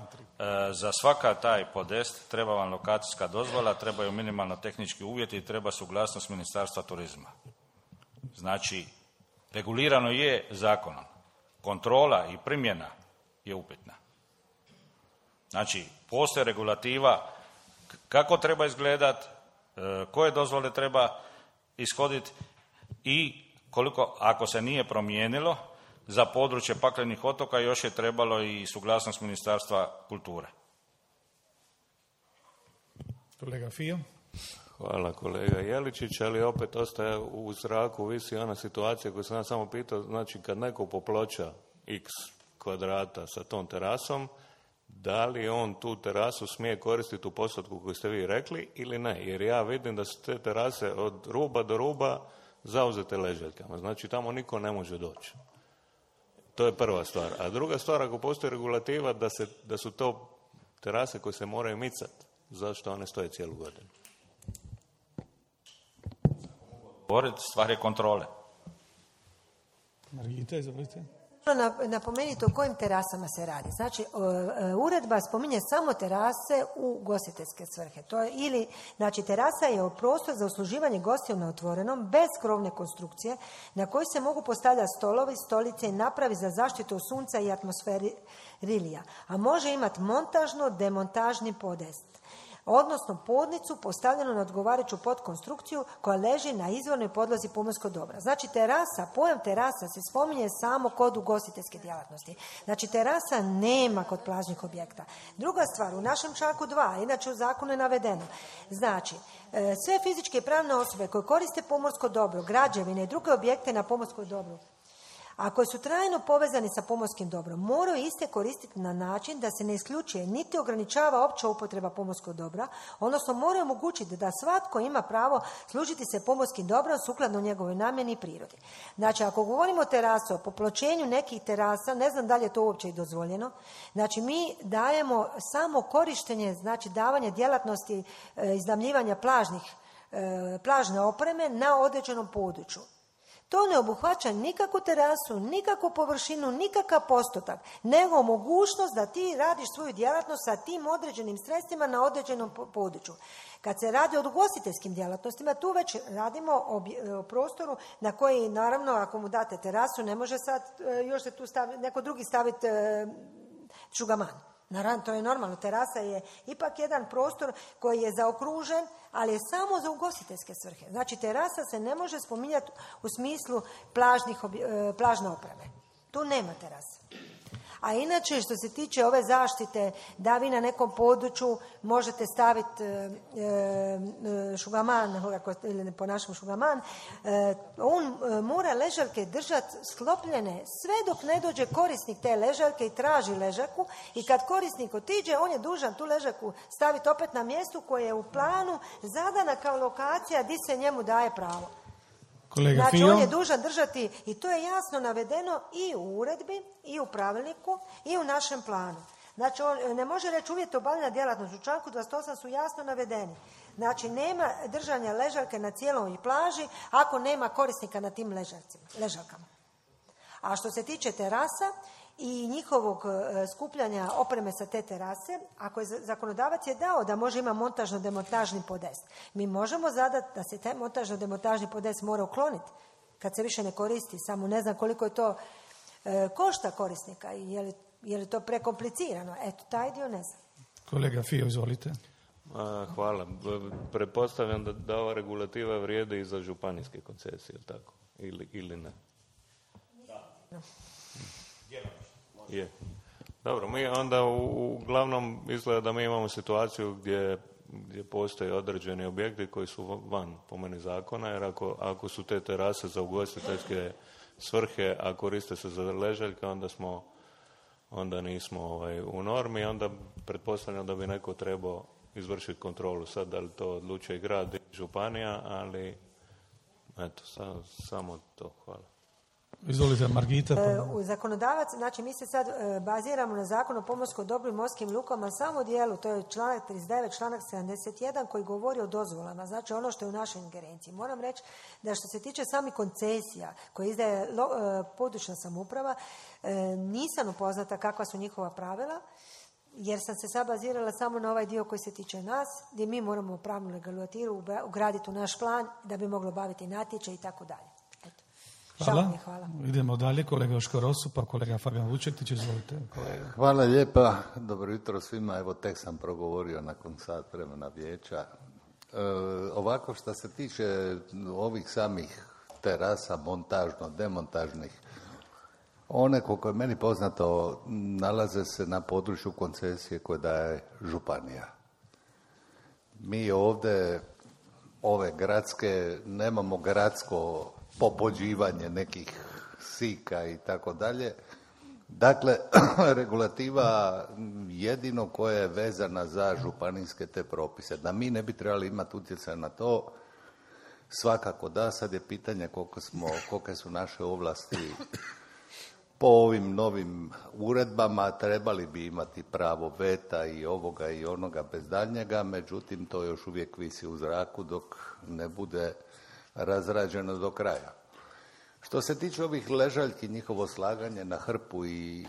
za svaka taj podest treba vam lokacijska dozvola, trebaju minimalno tehnički uvjeti i treba suglasnost Ministarstva turizma. Znači, regulirano je zakonom. Kontrola i primjena je upitna. Znači, postoji regulativa kako treba izgledati, koje dozvole treba ishoditi i koliko, ako se nije promijenilo, za područje paklenih otoka još je trebalo i suglasnost Ministarstva kulture. Kolega Fio. Hvala kolega Jeličić, ali opet ostaje u zraku, visi ona situacija koju sam ja samo pitao, znači kad neko poploča x kvadrata sa tom terasom, da li on tu terasu smije koristiti u postotku koju ste vi rekli ili ne, jer ja vidim da su te terase od ruba do ruba zauzete ležaljkama, znači tamo niko ne može doći. To je prva stvar. A druga stvar, ako postoji regulativa da, se, da su to terase koje se moraju micati, zašto one stoje cijelu godinu? Stvar je kontrole. Margita, izvolite. Napomenite o kojim terasama se radi. Znači, uredba spominje samo terase u gostiteljske svrhe. To je ili, znači, terasa je prostor za usluživanje gostiju na otvorenom, bez krovne konstrukcije, na kojoj se mogu postavljati stolovi, stolice i napravi za zaštitu od sunca i atmosferi rilija. A može imati montažno, demontažni podest. odnosno podnicu postavljenu na odgovarajuću podkonstrukciju koja leži na izvornoj podlozi pomorskog dobra. Znači terasa, pojam terasa se spominje samo kod ugostiteljske djelatnosti. Znači terasa nema kod plažnih objekta. Druga stvar, u našem članku dva, inače u zakonu je navedeno, znači sve fizičke i pravne osobe koje koriste pomorsko dobro, građevine i druge objekte na pomorskom dobru, a koji su trajno povezani sa pomorskim dobrom, moraju iste koristiti na način da se ne isključuje niti ograničava opća upotreba pomorskog dobra, odnosno moraju omogućiti da svatko ima pravo služiti se pomorskim dobrom sukladno njegovoj namjeni i prirodi. Znači, ako govorimo o terasu, o popločenju nekih terasa, ne znam da li je to uopće i dozvoljeno, znači mi dajemo samo korištenje, znači davanje djelatnosti e, iznajmljivanja plažnih, e, plažne opreme na određenom području. To ne obuhvaća nikakvu terasu, nikakvu površinu, nikakav postotak, nego mogućnost da ti radiš svoju djelatnost sa tim određenim sredstvima na određenom području. Kad se radi o ugostiteljskim djelatnostima, tu već radimo o prostoru na koji, naravno, ako mu date terasu, ne može sad još se tu staviti, neko drugi staviti šugaman. Naravno, to je normalno. Terasa je ipak jedan prostor koji je zaokružen, ali je samo za ugostiteljske svrhe. Znači, terasa se ne može spominjati u smislu plažnih, plažne opreme. Tu nema terase. A inače, što se tiče ove zaštite, da vi na nekom području možete staviti e, e, šugaman, ili po našem šugaman, e, on mora ležaljke držati sklopljene sve dok ne dođe korisnik te ležaljke i traži ležaljku, i kad korisnik otiđe, on je dužan tu ležaljku staviti opet na mjestu koje je u planu zadana kao lokacija gdje se njemu daje pravo. Kolega znači, Fio. on je dužan držati, i to je jasno navedeno i u uredbi, i u pravilniku, i u našem planu. Znači, on ne može reći uvjeti obavljanja djelatnosti. U članku dvadeset osam su jasno navedeni. Znači, nema držanja ležaljke na cijeloj plaži ako nema korisnika na tim ležaljkama. A što se tiče terasa i njihovog skupljanja opreme sa te terase, ako je zakonodavac je dao da može ima montažno-demontažni podest, mi možemo zadati da se taj montažno-demontažni podest mora ukloniti kad se više ne koristi, samo ne znam koliko je to e, košta korisnika i je li, je li to prekomplicirano. Eto, taj dio ne znam. Kolega Fio, izvolite. Hvala. Pretpostavljam da, da ova regulativa vrijede i za županijske koncesije, tako? Ili, ili ne? Da. Je. Dobro, mi onda u, uglavnom izgleda da mi imamo situaciju gdje, gdje postoje određeni objekti koji su van, po meni, zakona, jer ako, ako su te terase za ugostiteljske svrhe, a koriste se za ležaljke, onda smo, onda nismo ovaj, u normi, onda pretpostavljam da bi neko trebao izvršiti kontrolu. Sad, da li to odlučuje grad i županija, ali eto, sa, samo to. Hvala. Izvolite, Margita. E, u zakonodavac, znači mi se sad e, baziramo na Zakon o pomorskom dobru i morskim lukama samo u dijelu, to je članak trideset devet, članak sedamdeset jedan koji govori o dozvolama, znači ono što je u našoj ingerenciji. Moram reći da što se tiče samih koncesija koje izdaje lo, e, područna samouprava, e, nisam upoznata kakva su njihova pravila, jer sam se sad bazirala samo na ovaj dio koji se tiče nas, gdje mi moramo pravnu regulativu ugraditi u naš plan da bi moglo baviti natječaj i tako dalje. Hvala. Hvala. Idemo dalje, kolega Joško Rosu, pa kolega Fabijan Vučetić, izvolite. Kolega. Hvala lijepa, dobro jutro svima, evo tek sam progovorio nakon sat vremena vijeća. E, ovako, što se tiče ovih samih terasa, montažno, demontažnih, one, koliko je meni poznato, nalaze se na području koncesije koje daje županija. Mi ovdje, ove gradske, nemamo gradsko popođivanje nekih sika i tako dalje. Dakle, regulativa jedino koja je vezana za županijske te propise. Da mi ne bi trebali imati utjecaj na to, svakako da, sad je pitanje koliko smo, kolike su naše ovlasti po ovim novim uredbama, trebali bi imati pravo veta i ovoga i onoga bez daljnjega, međutim to još uvijek visi u zraku dok ne bude razrađeno do kraja. Što se tiče ovih ležaljki, njihovo slaganje na hrpu i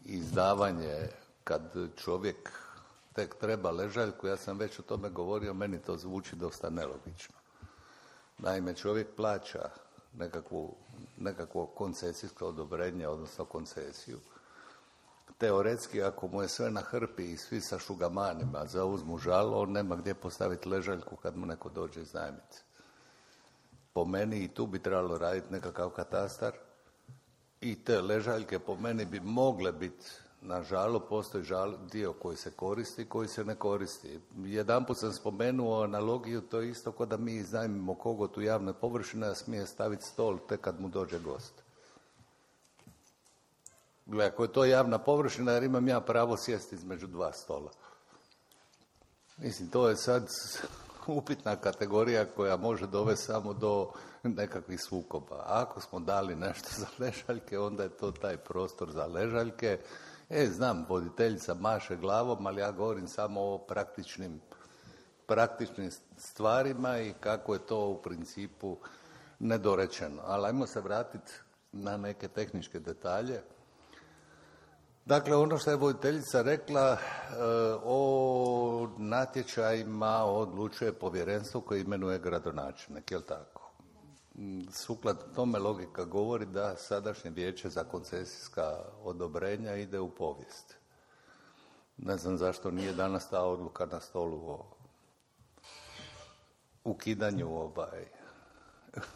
izdavanje kad čovjek tek treba ležaljku, ja sam već o tome govorio, meni to zvuči dosta nelogično. Naime, čovjek plaća nekakvu, nekakvo koncesijsko odobrenje, odnosno koncesiju. teoretski, ako mu je sve na hrpi i svi sa šugamanima zauzmu žalo, on nema gdje postaviti ležaljku kad mu neko dođe iznajmiti. Po meni i tu bi trebalo raditi nekakav katastar i te ležaljke po meni bi mogle biti na žalo, postoji žal, dio koji se koristi, koji se ne koristi. Jedanput sam spomenuo analogiju, to je isto kao da mi iznajmimo kogot u javne površine, a smije staviti stol tek kad mu dođe gost. Gle, ako je to javna površina, jer imam ja pravo sjesti između dva stola. Mislim, to je sad upitna kategorija koja može dovesti samo do nekakvih sukoba. A ako smo dali nešto za ležaljke, onda je to taj prostor za ležaljke. E, znam, voditeljica maše glavom, ali ja govorim samo o praktičnim, praktičnim stvarima i kako je to u principu nedorečeno. Ali ajmo se vratiti na neke tehničke detalje. Dakle, ono što je voditeljica rekla, o natječajima odlučuje povjerenstvo koje imenuje gradonačelnik, je li tako? Sukladno tome logika govori da sadašnje vijeće za koncesijska odobrenja ide u povijest. Ne znam zašto nije danas ta odluka na stolu o ukidanju, ovaj,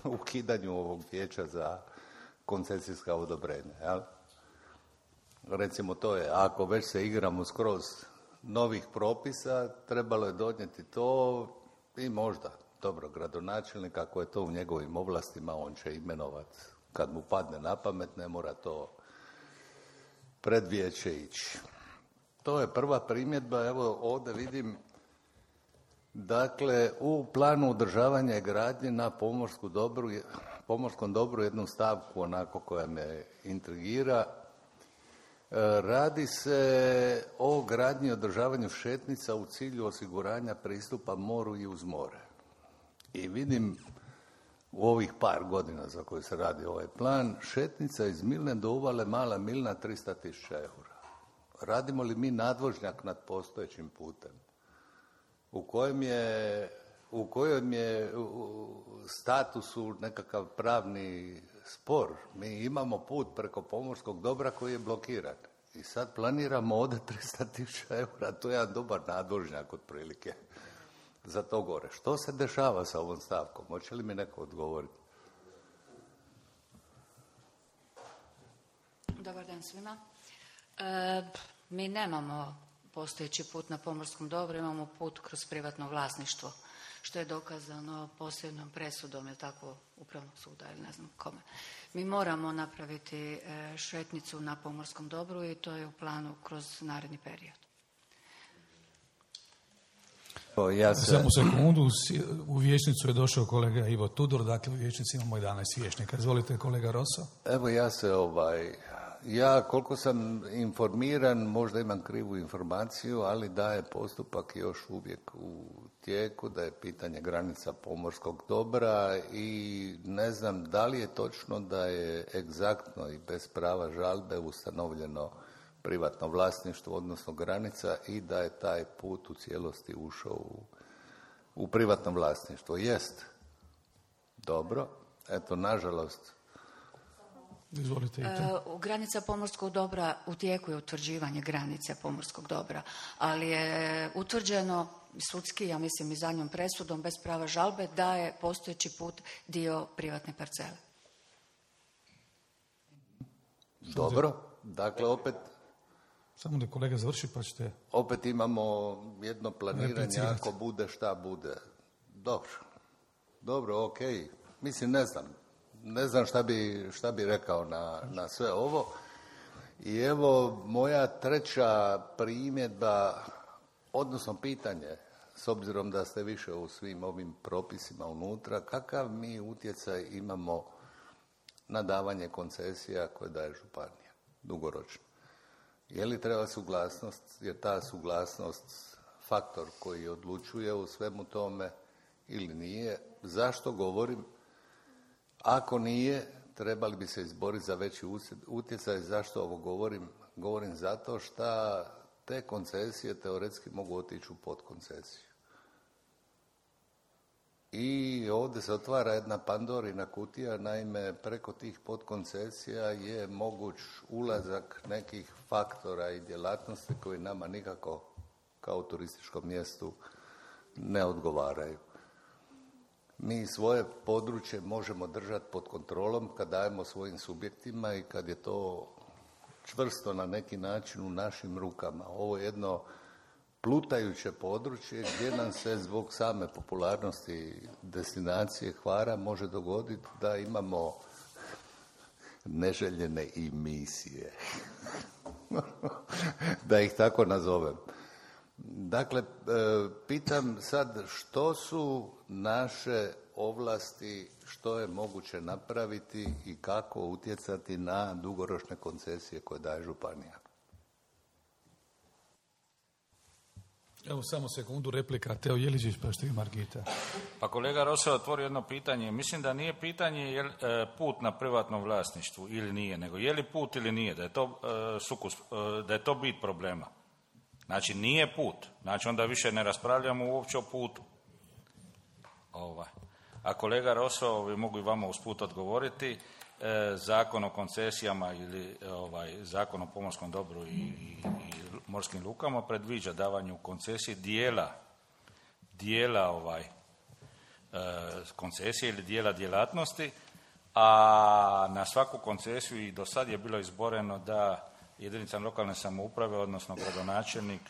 ukidanju ovog vijeća za koncesijska odobrenja, jel? Recimo to je, ako već se igramo skroz novih propisa, trebalo je donijeti to i možda, dobro, gradonačelnik, ako je to u njegovim ovlastima, on će imenovati kad mu padne na pamet, ne mora to pred vijeće ići. To je prva primjedba, evo ovdje vidim, dakle, u planu održavanja i gradnje na pomorsku dobru, pomorskom dobru jednu stavku onako koja me intrigira. Radi se o gradnji i održavanju šetnica u cilju osiguranja pristupa moru i uz more. I vidim u ovih par godina za koje se radi ovaj plan, šetnica iz Milne do uvale Mala Milna tristo tisuća eura. Radimo li mi nadvožnjak nad postojećim putem u kojem je, u kojem je u statusu nekakav pravni spor? Mi imamo put preko pomorskog dobra koji je blokiran i sad planiramo ovdje tristo tisuća eura, to je jedan dobar nadvožnjak otprilike za to gore. Što se dešava sa ovom stavkom? Hoće li mi neko odgovoriti? Dobar dan svima. E, mi nemamo postojeći put na pomorskom dobru, imamo put kroz privatno vlasništvo, što je dokazano posljednom presudom, je tako, Upravnog suda ili ne znam kome. Mi moramo napraviti šetnicu na pomorskom dobru i to je u planu kroz naredni period. O, ja se... Samo sekundu, u vijećnicu je došao kolega Ivo Tudor, dakle u vijećnici imamo jedanaest vijećnika. Izvolite, kolega Rosso. Evo ja se ovaj... Ja, koliko sam informiran, možda imam krivu informaciju, ali da je postupak još uvijek u tijeku, da je pitanje granica pomorskog dobra i ne znam da li je točno da je egzaktno i bez prava žalbe ustanovljeno privatno vlasništvo, odnosno granica, i da je taj put u cijelosti ušao u, u privatno vlasništvo. Jest. Dobro. Eto, nažalost, Izvolite. Uh, granica pomorskog dobra, u tijeku je utvrđivanje granice pomorskog dobra, ali je utvrđeno sudski, ja mislim i zadnjom presudom, bez prava žalbe, da je postojeći put dio privatne parcele. Dobro, dakle opet... Samo da kolega završi pa ćete... Opet imamo jedno planiranje, ako bude šta bude. Dobro, dobro, ok. Mislim, ne znam. Ne znam šta bi, šta bi rekao na, na sve ovo. I evo moja treća primjedba, odnosno pitanje, s obzirom da ste više u svim ovim propisima unutra, kakav mi utjecaj imamo na davanje koncesija koje daje županija, dugoročno? Je li treba suglasnost, je ta suglasnost faktor koji odlučuje u svemu tome ili nije? Zašto govorim? Ako nije, trebali bi se izboriti za veći utjecaj. Zašto ovo govorim? Govorim zato što te koncesije teoretski mogu otići u podkoncesiju. I ovdje se otvara jedna Pandorina kutija, naime preko tih podkoncesija je moguć ulazak nekih faktora i djelatnosti koji nama nikako kao turističkom mjestu ne odgovaraju. Mi svoje područje možemo držati pod kontrolom kad dajemo svojim subjektima i kad je to čvrsto na neki način u našim rukama. Ovo je jedno plutajuće područje gdje nam se zbog same popularnosti destinacije Hvara može dogoditi da imamo neželjene emisije. Da ih tako nazovem. Dakle, pitam sad što su naše ovlasti, što je moguće napraviti i kako utjecati na dugoročne koncesije koje daje županija. Evo samo sekundu, replika. Teo Jeličić, pa što je Margita. Pa kolega Rosa otvorio jedno pitanje. Mislim da nije pitanje je li e, put na privatnom vlasništvu ili nije, nego je li put ili nije, da je to, e, sukus, e, da je to bit problema. Znači nije put, znači onda više ne raspravljamo uopće o putu. Ovaj. A kolega Roso, vi mogu i vama usput odgovoriti, e, zakon o koncesijama ili ovaj, zakon o pomorskom dobru i, i, i morskim lukama predviđa davanju koncesije dijela, dijela ovaj, e, koncesije ili dijela djelatnosti, a na svaku koncesiju i do sad je bilo izboreno da jedinicama lokalne samouprave, odnosno gradonačelnik,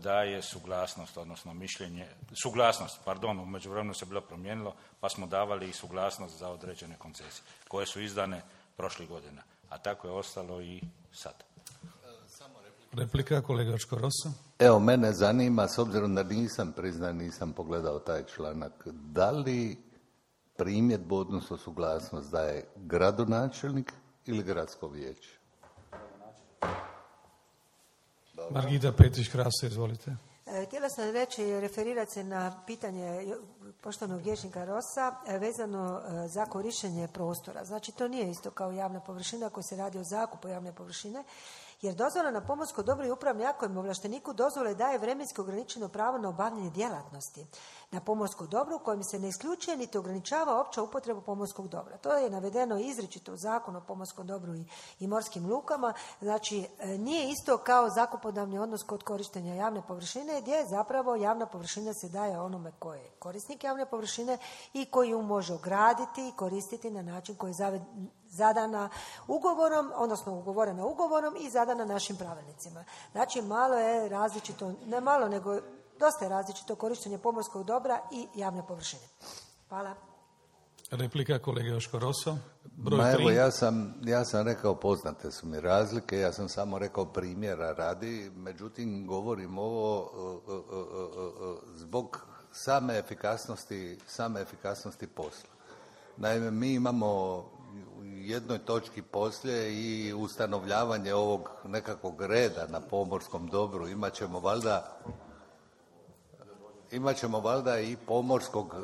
daje suglasnost, odnosno mišljenje, suglasnost, pardon, u međuvremenu se bilo promijenilo, pa smo davali i suglasnost za određene koncesije, koje su izdane prošlih godina, a tako je ostalo i sad. Replika, kolega Škorosa. Evo, mene zanima, s obzirom da nisam priznan, nisam pogledao taj članak, da li primjedbu, odnosno suglasnost daje gradonačelnik ili gradsko vijeće? Margita Petrić-Krasa, izvolite. Htjela sam reći, referirati se na pitanje poštovanog vijećnika Rosa vezano za korištenje prostora. Znači, to nije isto kao javna površina ako se radi o zakupu javne površine, jer dozvola na pomorsko dobro i upravni akt kojem ovlašteniku dozvole daje vremenski ograničeno pravo na obavljanje djelatnosti na pomorsko dobro u kojem se ne isključuje niti ograničava opća upotreba pomorskog dobra. To je navedeno izričito u Zakonu o pomorskom dobru i, i morskim lukama. Znači, nije isto kao zakupodavni odnos kod korištenja javne površine, gdje zapravo javna površina se daje onome koji je korisnik javne površine i koji ju može ograditi i koristiti na način koji je zadana ugovorom, odnosno ugovorena ugovorom i zadana našim pravilnicima. Znači, malo je različito, ne malo, nego dosta je različito korištenje pomorskog dobra i javne površine. Hvala. Replika, kolega Joško Roso. Broj Ma tri. evo, ja sam, ja sam rekao, poznate su mi razlike, ja sam samo rekao primjera radi, međutim, govorim ovo uh, uh, uh, uh, zbog same efikasnosti, same efikasnosti posla. Naime, mi imamo u jednoj točki poslije i ustanovljavanje ovog nekakvog reda na pomorskom dobru. Imaćemo valjda imaćemo valjda i pomorskog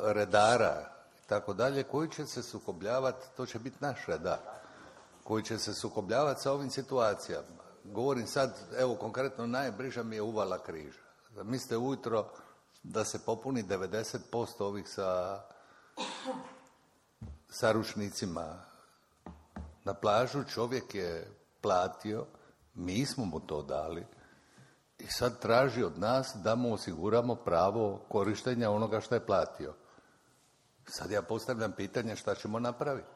redara i tako dalje, koji će se sukobljavati, to će biti naš redar, koji će se sukobljavati sa ovim situacijama. Govorim sad, evo konkretno, najbliža mi je uvala Križa. Mislite ujutro da se popuni devedeset posto ovih sa, sa ručnicima na plažu, čovjek je platio, mi smo mu to dali i sad traži od nas da mu osiguramo pravo korištenja onoga što je platio. Sad ja postavljam pitanje šta ćemo napraviti.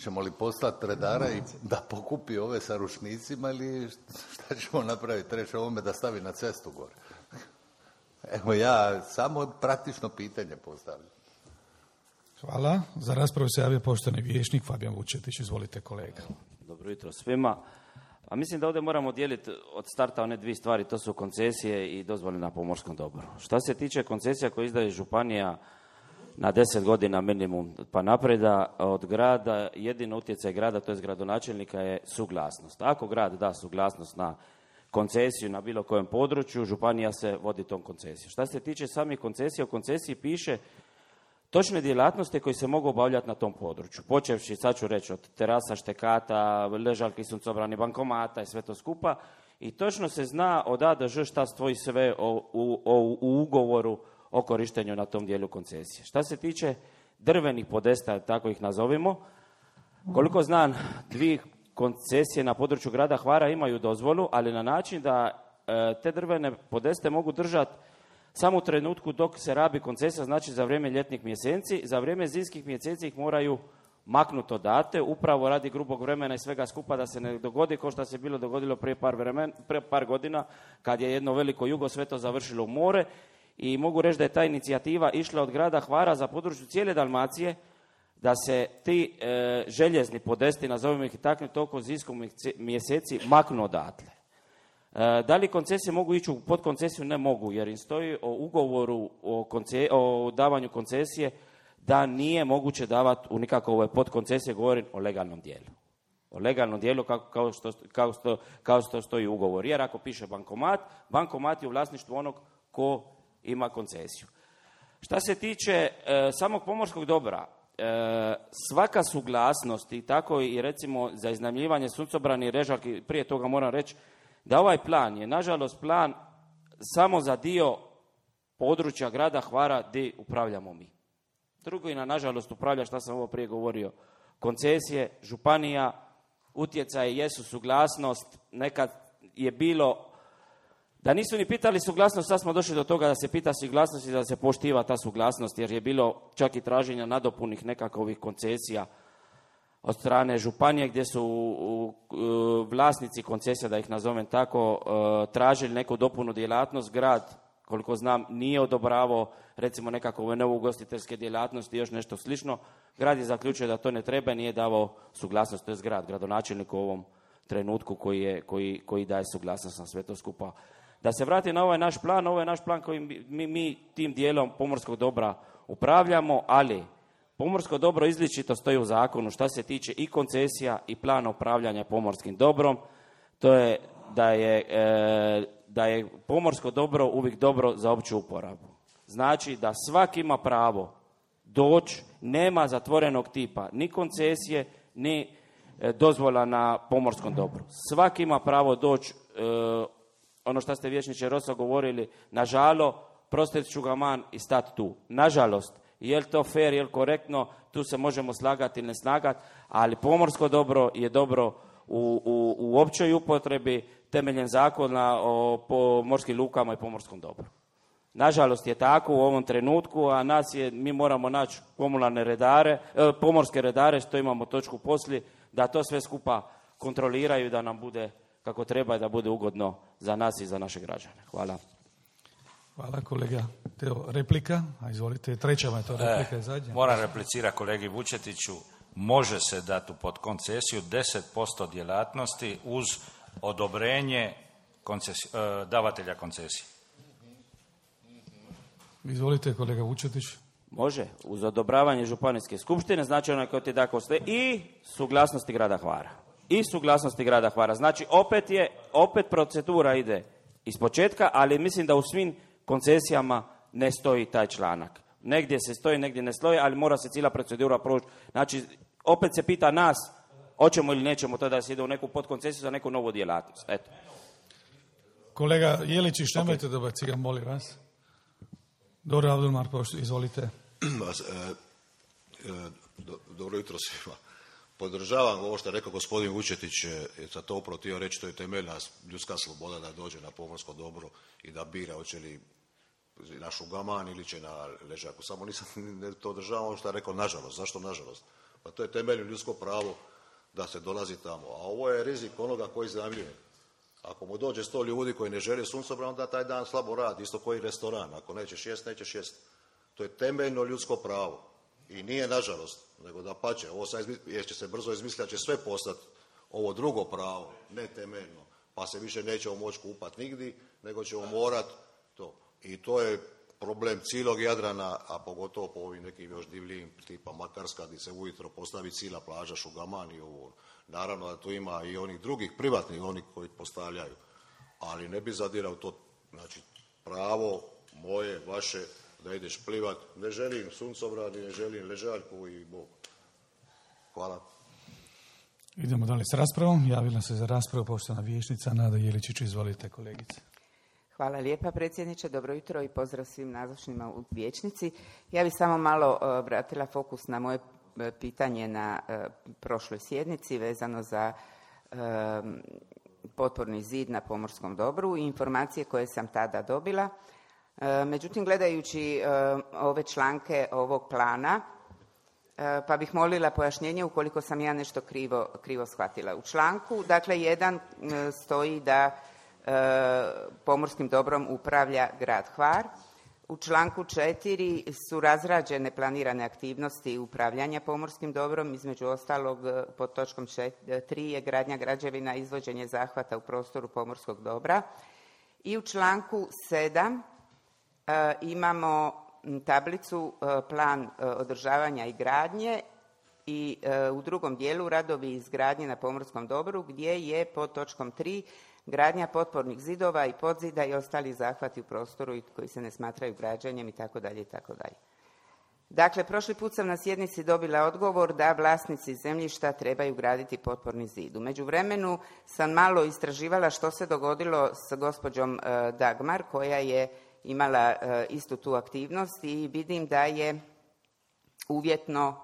Ćemo li poslati redara i da pokupi ove sa ručnicima ili šta ćemo napraviti? Reći ovome da stavi na cestu gore. Evo ja samo praktično pitanje postavljam. Hvala. Za raspravu se javio poštovani vijećnik Fabijan Vučetić. Izvolite, kolega. Dobro jutro svima. A mislim da ovdje moramo dijeliti od starta one dvije stvari, to su koncesije i dozvole na pomorskom dobru. Šta se tiče koncesija koje izdaje županija na deset godina minimum pa napreda od grada, jedino utjecaj grada, to je gradonačelnika, je suglasnost. Ako grad da suglasnost na koncesiju na bilo kojem području, županija se vodi tom koncesijom. Šta se tiče samih koncesija, u koncesiji piše točne djelatnosti koje se mogu obavljati na tom području. Počevši, sad ću reći, od terasa, štekata, ležaljki, suncobrani, bankomata i sve to skupa. I točno se zna od A do Ž šta stoji sve o, u, o, u ugovoru o korištenju na tom dijelu koncesije. Šta se tiče drvenih podesta, tako ih nazovimo, koliko znam, dvije koncesije na području grada Hvara imaju dozvolu, ali na način da e, te drvene podeste mogu držati samo u trenutku dok se rabi koncesija, znači za vrijeme ljetnih mjeseci, za vrijeme zimskih mjeseci ih moraju maknuti odate, upravo radi grubog vremena i svega skupa da se ne dogodi kao što se bilo dogodilo prije par, vremen, prije par godina kad je jedno veliko jugo sve to završilo u more i mogu reći da je ta inicijativa išla od grada Hvara za području cijele Dalmacije da se ti e, željezni podesti, nazovimo ih i tako, toliko zimskog mjeseci maknu odatle. E, da li koncesije mogu ići u podkoncesiju? Ne mogu, jer im stoji o ugovoru o, konce, o davanju koncesije da nije moguće davati u nikakve podkoncesije, govorim o legalnom dijelu. O legalnom dijelu kao, kao, što, kao, što, kao što stoji ugovor. Jer ako piše bankomat, bankomat je u vlasništvu onog ko ima koncesiju. Šta se tiče e, samog pomorskog dobra, e, svaka suglasnost i tako i recimo za iznajmljivanje suncobrani i režaljki, prije toga moram reći da ovaj plan je nažalost plan samo za dio područja grada Hvara gdje upravljamo mi. Drugo i na nažalost upravlja, šta sam ovo prije govorio, koncesije, županija, utjecaje jesu suglasnost, nekad je bilo da nisu ni pitali suglasnost, sad smo došli do toga da se pita suglasnost i da se poštiva ta suglasnost, jer je bilo čak i traženja nadopunih nekakvih koncesija od strane županije gdje su u, u, vlasnici koncesija, da ih nazovem tako, uh, tražili neku dopunu djelatnost. Grad, koliko znam, nije odobravao recimo nekakve nove ugostiteljske djelatnosti i još nešto slično. Grad je zaključio da to ne treba, nije davao suglasnost, to je grad, gradonačelnik u ovom trenutku koji, je, koji, koji daje suglasnost na sve to skupa. Da se vrati na ovaj naš plan, ovo je naš plan koji mi, mi tim dijelom pomorskog dobra upravljamo, ali pomorsko dobro izričito stoji u zakonu šta se tiče i koncesija i plana upravljanja pomorskim dobrom. To je da je, e, da je pomorsko dobro uvijek dobro za opću uporabu. Znači da svaki ima pravo doći, nema zatvorenog tipa ni koncesije, ni e, dozvola na pomorskom dobru. Svaki ima pravo doći, e, ono što ste vijećniče Rosa govorili, nažalo, prostet ću ga man i stat tu. Nažalost, je li to fair, je li korektno, tu se možemo slagati ili ne slagati, ali pomorsko dobro je dobro u, u, u općoj upotrebi temeljem zakona o pomorskim lukama i pomorskom dobru. Nažalost je tako u ovom trenutku, a nas je, mi moramo naći komunalne redare, e, pomorske redare, što imamo točku poslije, da to sve skupa kontroliraju i da nam bude kako treba i da bude ugodno za nas i za naše građane. Hvala. Hvala kolega. Teo, replika, a izvolite, treća vam je to replika i zadnja. E, moram replicirati kolegi Vučetiću, može se dati pod koncesiju deset posto djelatnosti uz odobrenje koncesi, e, davatelja koncesije. Izvolite kolega Vučetić. Može, uz odobravanje županijske skupštine, znači onaj koji ti da koste i suglasnosti grada Hvara. I suglasnosti grada Hvara. Znači opet je, opet procedura ide iz početka, ali mislim da u svim koncesijama ne stoji taj članak. Negdje se stoji, negdje ne stoji, ali mora se cijela procedura proći. Znači, opet se pita nas, hoćemo ili nećemo to da se ide u neku podkoncesiju za neku novu djelatnost. Eto. Kolega Jeličić, nemojte okay. dobaciti, molim vas. Dobro, Abdulmar, izvolite. Dobro jutro svima. Podržavam ovo što je rekao gospodin Vučetić, za to upravo htio reći, to je temeljna ljudska sloboda da dođe na pomorsko dobro i da bira hoće li na šugaman ili će na ležaku. Samo nisam ne to održavam ovo što je rekao nažalost. Zašto nažalost? Pa to je temeljno ljudsko pravo da se dolazi tamo. A ovo je rizik onoga koji iznajmljuje. Ako mu dođe sto ljudi koji ne žele suncobran, onda taj dan slabo radi, isto koji restoran. Ako nećeš jest, nećeš jest. To je temeljno ljudsko pravo. I nije nažalost, nego da pače, ovo sad jer će se brzo izmisliti, će sve postati ovo drugo pravo, ne temeljno, pa se više nećemo moći kupati nigdje, nego ćemo morati to. I to je problem cijelog Jadrana, a pogotovo po ovim nekim još divljim, tipa Makarska, gdje se ujutro postavi cijela plaža, Šugaman i ovo. Naravno da tu ima i onih drugih privatnih, oni koji postavljaju, ali ne bi zadirao to, znači pravo moje, vaše, da ideš plivat, ne želim suncobran, ne želim ležaljku i Bog. Hvala. Idemo dalje s raspravom. Javila se za raspravu poštovana vijećnica Nada Jeličić. Izvolite kolegice. Hvala lijepa predsjedniče, dobro jutro i pozdrav svim nazočnima u vijećnici. Ja bih samo malo uh, vratila fokus na moje uh, pitanje na uh, prošloj sjednici vezano za uh, potporni zid na pomorskom dobru i informacije koje sam tada dobila. Uh, međutim, gledajući uh, ove članke ovog plana, uh, pa bih molila pojašnjenje ukoliko sam ja nešto krivo, krivo shvatila. U članku, dakle, jedan uh, stoji da pomorskim dobrom upravlja grad Hvar. U članku četiri su razrađene planirane aktivnosti upravljanja pomorskim dobrom, između ostalog pod točkom tri je gradnja građevina, izvođenje zahvata u prostoru pomorskog dobra. I u članku sedam imamo tablicu plan održavanja i gradnje i u drugom dijelu radovi izgradnje na pomorskom dobru gdje je pod točkom tri gradnja potpornih zidova i podzida i ostali zahvati u prostoru koji se ne smatraju građenjem i tako dalje i tako dalje. Dakle, prošli put sam na sjednici dobila odgovor da vlasnici zemljišta trebaju graditi potporni zid. U međuvremenu sam malo istraživala što se dogodilo s gospođom Dagmar koja je imala istu tu aktivnost i vidim da je uvjetno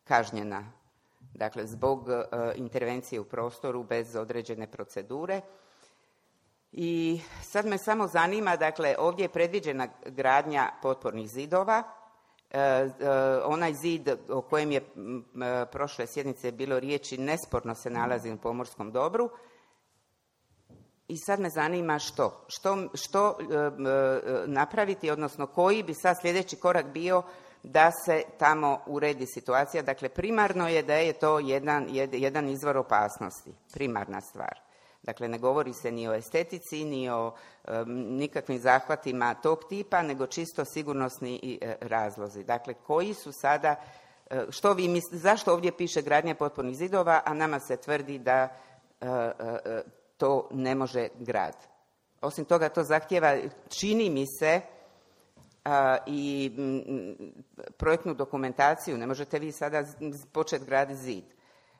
kažnjena. Dakle, zbog intervencije u prostoru bez određene procedure. I sad me samo zanima, dakle, ovdje je predviđena gradnja potpornih zidova. E, e, onaj zid o kojem je e, prošle sjednice bilo riječi nesporno se nalazi u pomorskom dobru. I sad me zanima što? Što, što e, e, napraviti, odnosno koji bi sad sljedeći korak bio da se tamo uredi situacija. Dakle, primarno je da je to jedan, jedan izvor opasnosti, primarna stvar. Dakle, ne govori se ni o estetici, ni o um, nikakvim zahvatima tog tipa, nego čisto sigurnosni i, e, razlozi. Dakle, koji su sada, e, što vi mislite, zašto ovdje piše gradnja potpornih zidova, a nama se tvrdi da e, e, to ne može grad. Osim toga, to zahtjeva, čini mi se, a, i m, projektnu dokumentaciju. Ne možete vi sada početi graditi zid.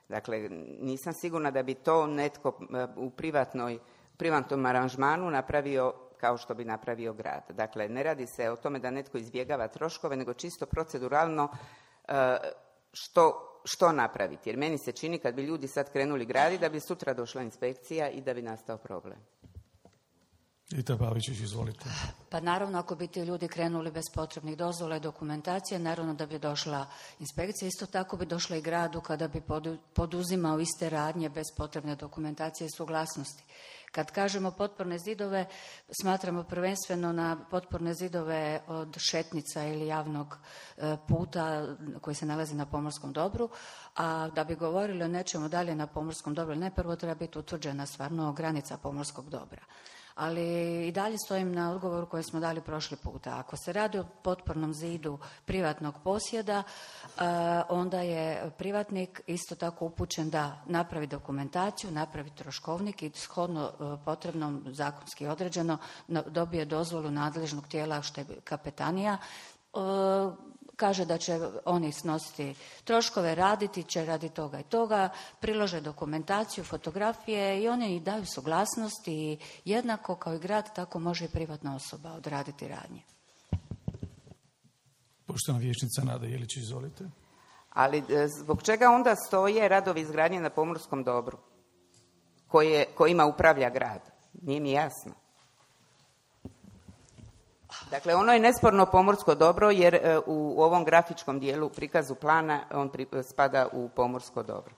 Dakle, nisam sigurna da bi to netko u privatnoj, privatnom aranžmanu napravio kao što bi napravio grad. Dakle, ne radi se o tome da netko izbjegava troškove, nego čisto proceduralno što, što napraviti. Jer meni se čini kad bi ljudi sad krenuli graditi da bi sutra došla inspekcija i da bi nastao problem. Rita Pavičić, izvolite. Pa naravno, ako bi ti ljudi krenuli bez potrebnih dozvola i dokumentacije, naravno da bi došla inspekcija. Isto tako bi došla i gradu kada bi poduzimao iste radnje bez potrebne dokumentacije i suglasnosti. Kad kažemo potporne zidove, smatramo prvenstveno na potporne zidove od šetnica ili javnog puta koji se nalazi na pomorskom dobru, a da bi govorili o nečemu dalje na pomorskom dobru, ne, prvo treba biti utvrđena stvarno granica pomorskog dobra. Ali i dalje stojim na odgovoru koji smo dali prošli puta. Ako se radi o potpornom zidu privatnog posjeda, onda je privatnik isto tako upućen da napravi dokumentaciju, napravi troškovnik i shodno potrebnom, zakonski određeno, dobije dozvolu nadležnog tijela što je kapetanija, kaže da će oni snositi troškove, raditi će radi toga i toga, prilože dokumentaciju, fotografije i oni i daju suglasnost i jednako kao i grad, tako može i privatna osoba odraditi radnje. Poštovana vijećnica Nada Jelić, izvolite. Ali zbog čega onda stoje radovi izgradnje na pomorskom dobru koje, kojima upravlja grad? Nije mi jasno. Dakle, ono je nesporno pomorsko dobro jer u ovom grafičkom dijelu prikazu plana on spada u pomorsko dobro.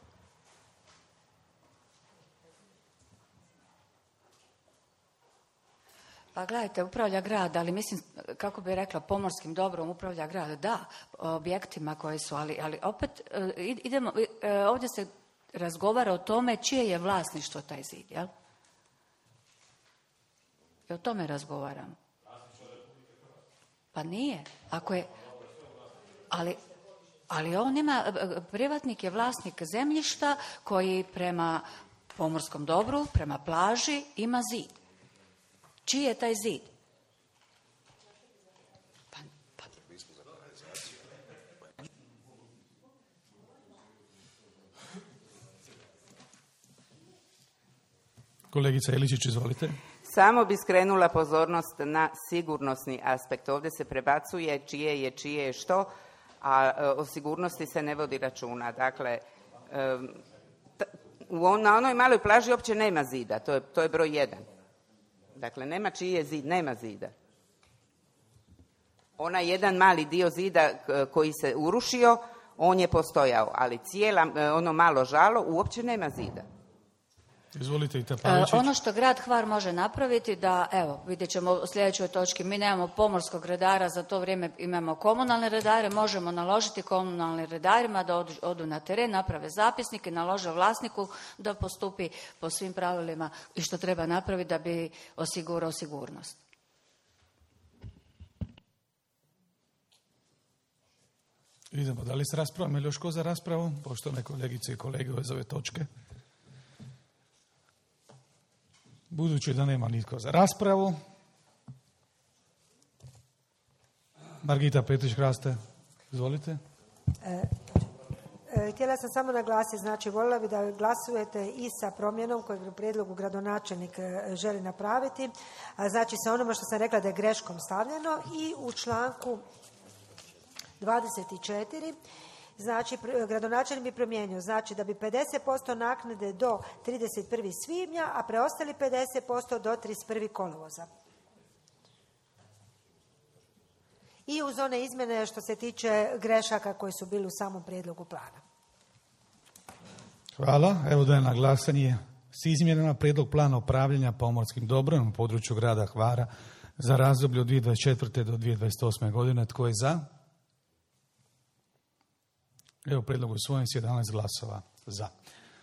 Pa gledajte, upravlja grad, ali mislim, kako bi rekla, pomorskim dobrom upravlja grad, da, objektima koji su, ali, ali opet idemo, ovdje se razgovara o tome čije je vlasništvo taj zid, jel? I o tome razgovaramo. Pa nije. Ako je, ali, ali on ima, privatnik je vlasnik zemljišta koji prema pomorskom dobru, prema plaži ima zid. Čiji je taj zid? Pa, pa. Kolegica Eličić, izvolite. Samo bi skrenula pozornost na sigurnosni aspekt. Ovdje se prebacuje čije je, čije je što, a o sigurnosti se ne vodi računa. Dakle, na onoj maloj plaži uopće nema zida, to je, to je broj jedan. Dakle, nema čiji je zid, nema zida. Onaj jedan mali dio zida koji se urušio, on je postojao, ali cijela, ono malo žalo uopće nema zida. Izvolite i e, ono što grad Hvar može napraviti da, evo, vidjet ćemo u sljedećoj točki, mi nemamo pomorskog redara, za to vrijeme imamo komunalne redare, možemo naložiti komunalnim redarima da odu, odu na teren, naprave zapisnike, nalože vlasniku da postupi po svim pravilima i što treba napraviti da bi osigurao sigurnost. Idemo, da li s raspravom ili još ko za raspravu? Poštovane kolegice i kolege iz ove točke. Budući da nema nitko za raspravu. Margita Petrić-Hraste, izvolite. E, e, htjela sam samo naglasiti, znači voljela bi da glasujete i sa promjenom kojeg u prijedlogu gradonačelnik želi napraviti, a znači sa onome što sam rekla da je greškom stavljeno i u članku dvadeset četiri, znači gradonačelnik bi promijenio, znači da bi pedeset posto naknade do trideset prvog svibnja, a preostali pedeset posto do trideset prvog kolovoza. I uz one izmjene što se tiče grešaka koji su bili u samom prijedlogu plana. Hvala. Evo dajem na glasanje s izmjenama prijedlog plana upravljanja pomorskim dobrom u području grada Hvara za razdoblje od dvije tisuće dvadeset četvrte do dvije tisuće dvadeset osme godine. Tko je za? Evo, prijedlog usvojen s jedanaest glasova za.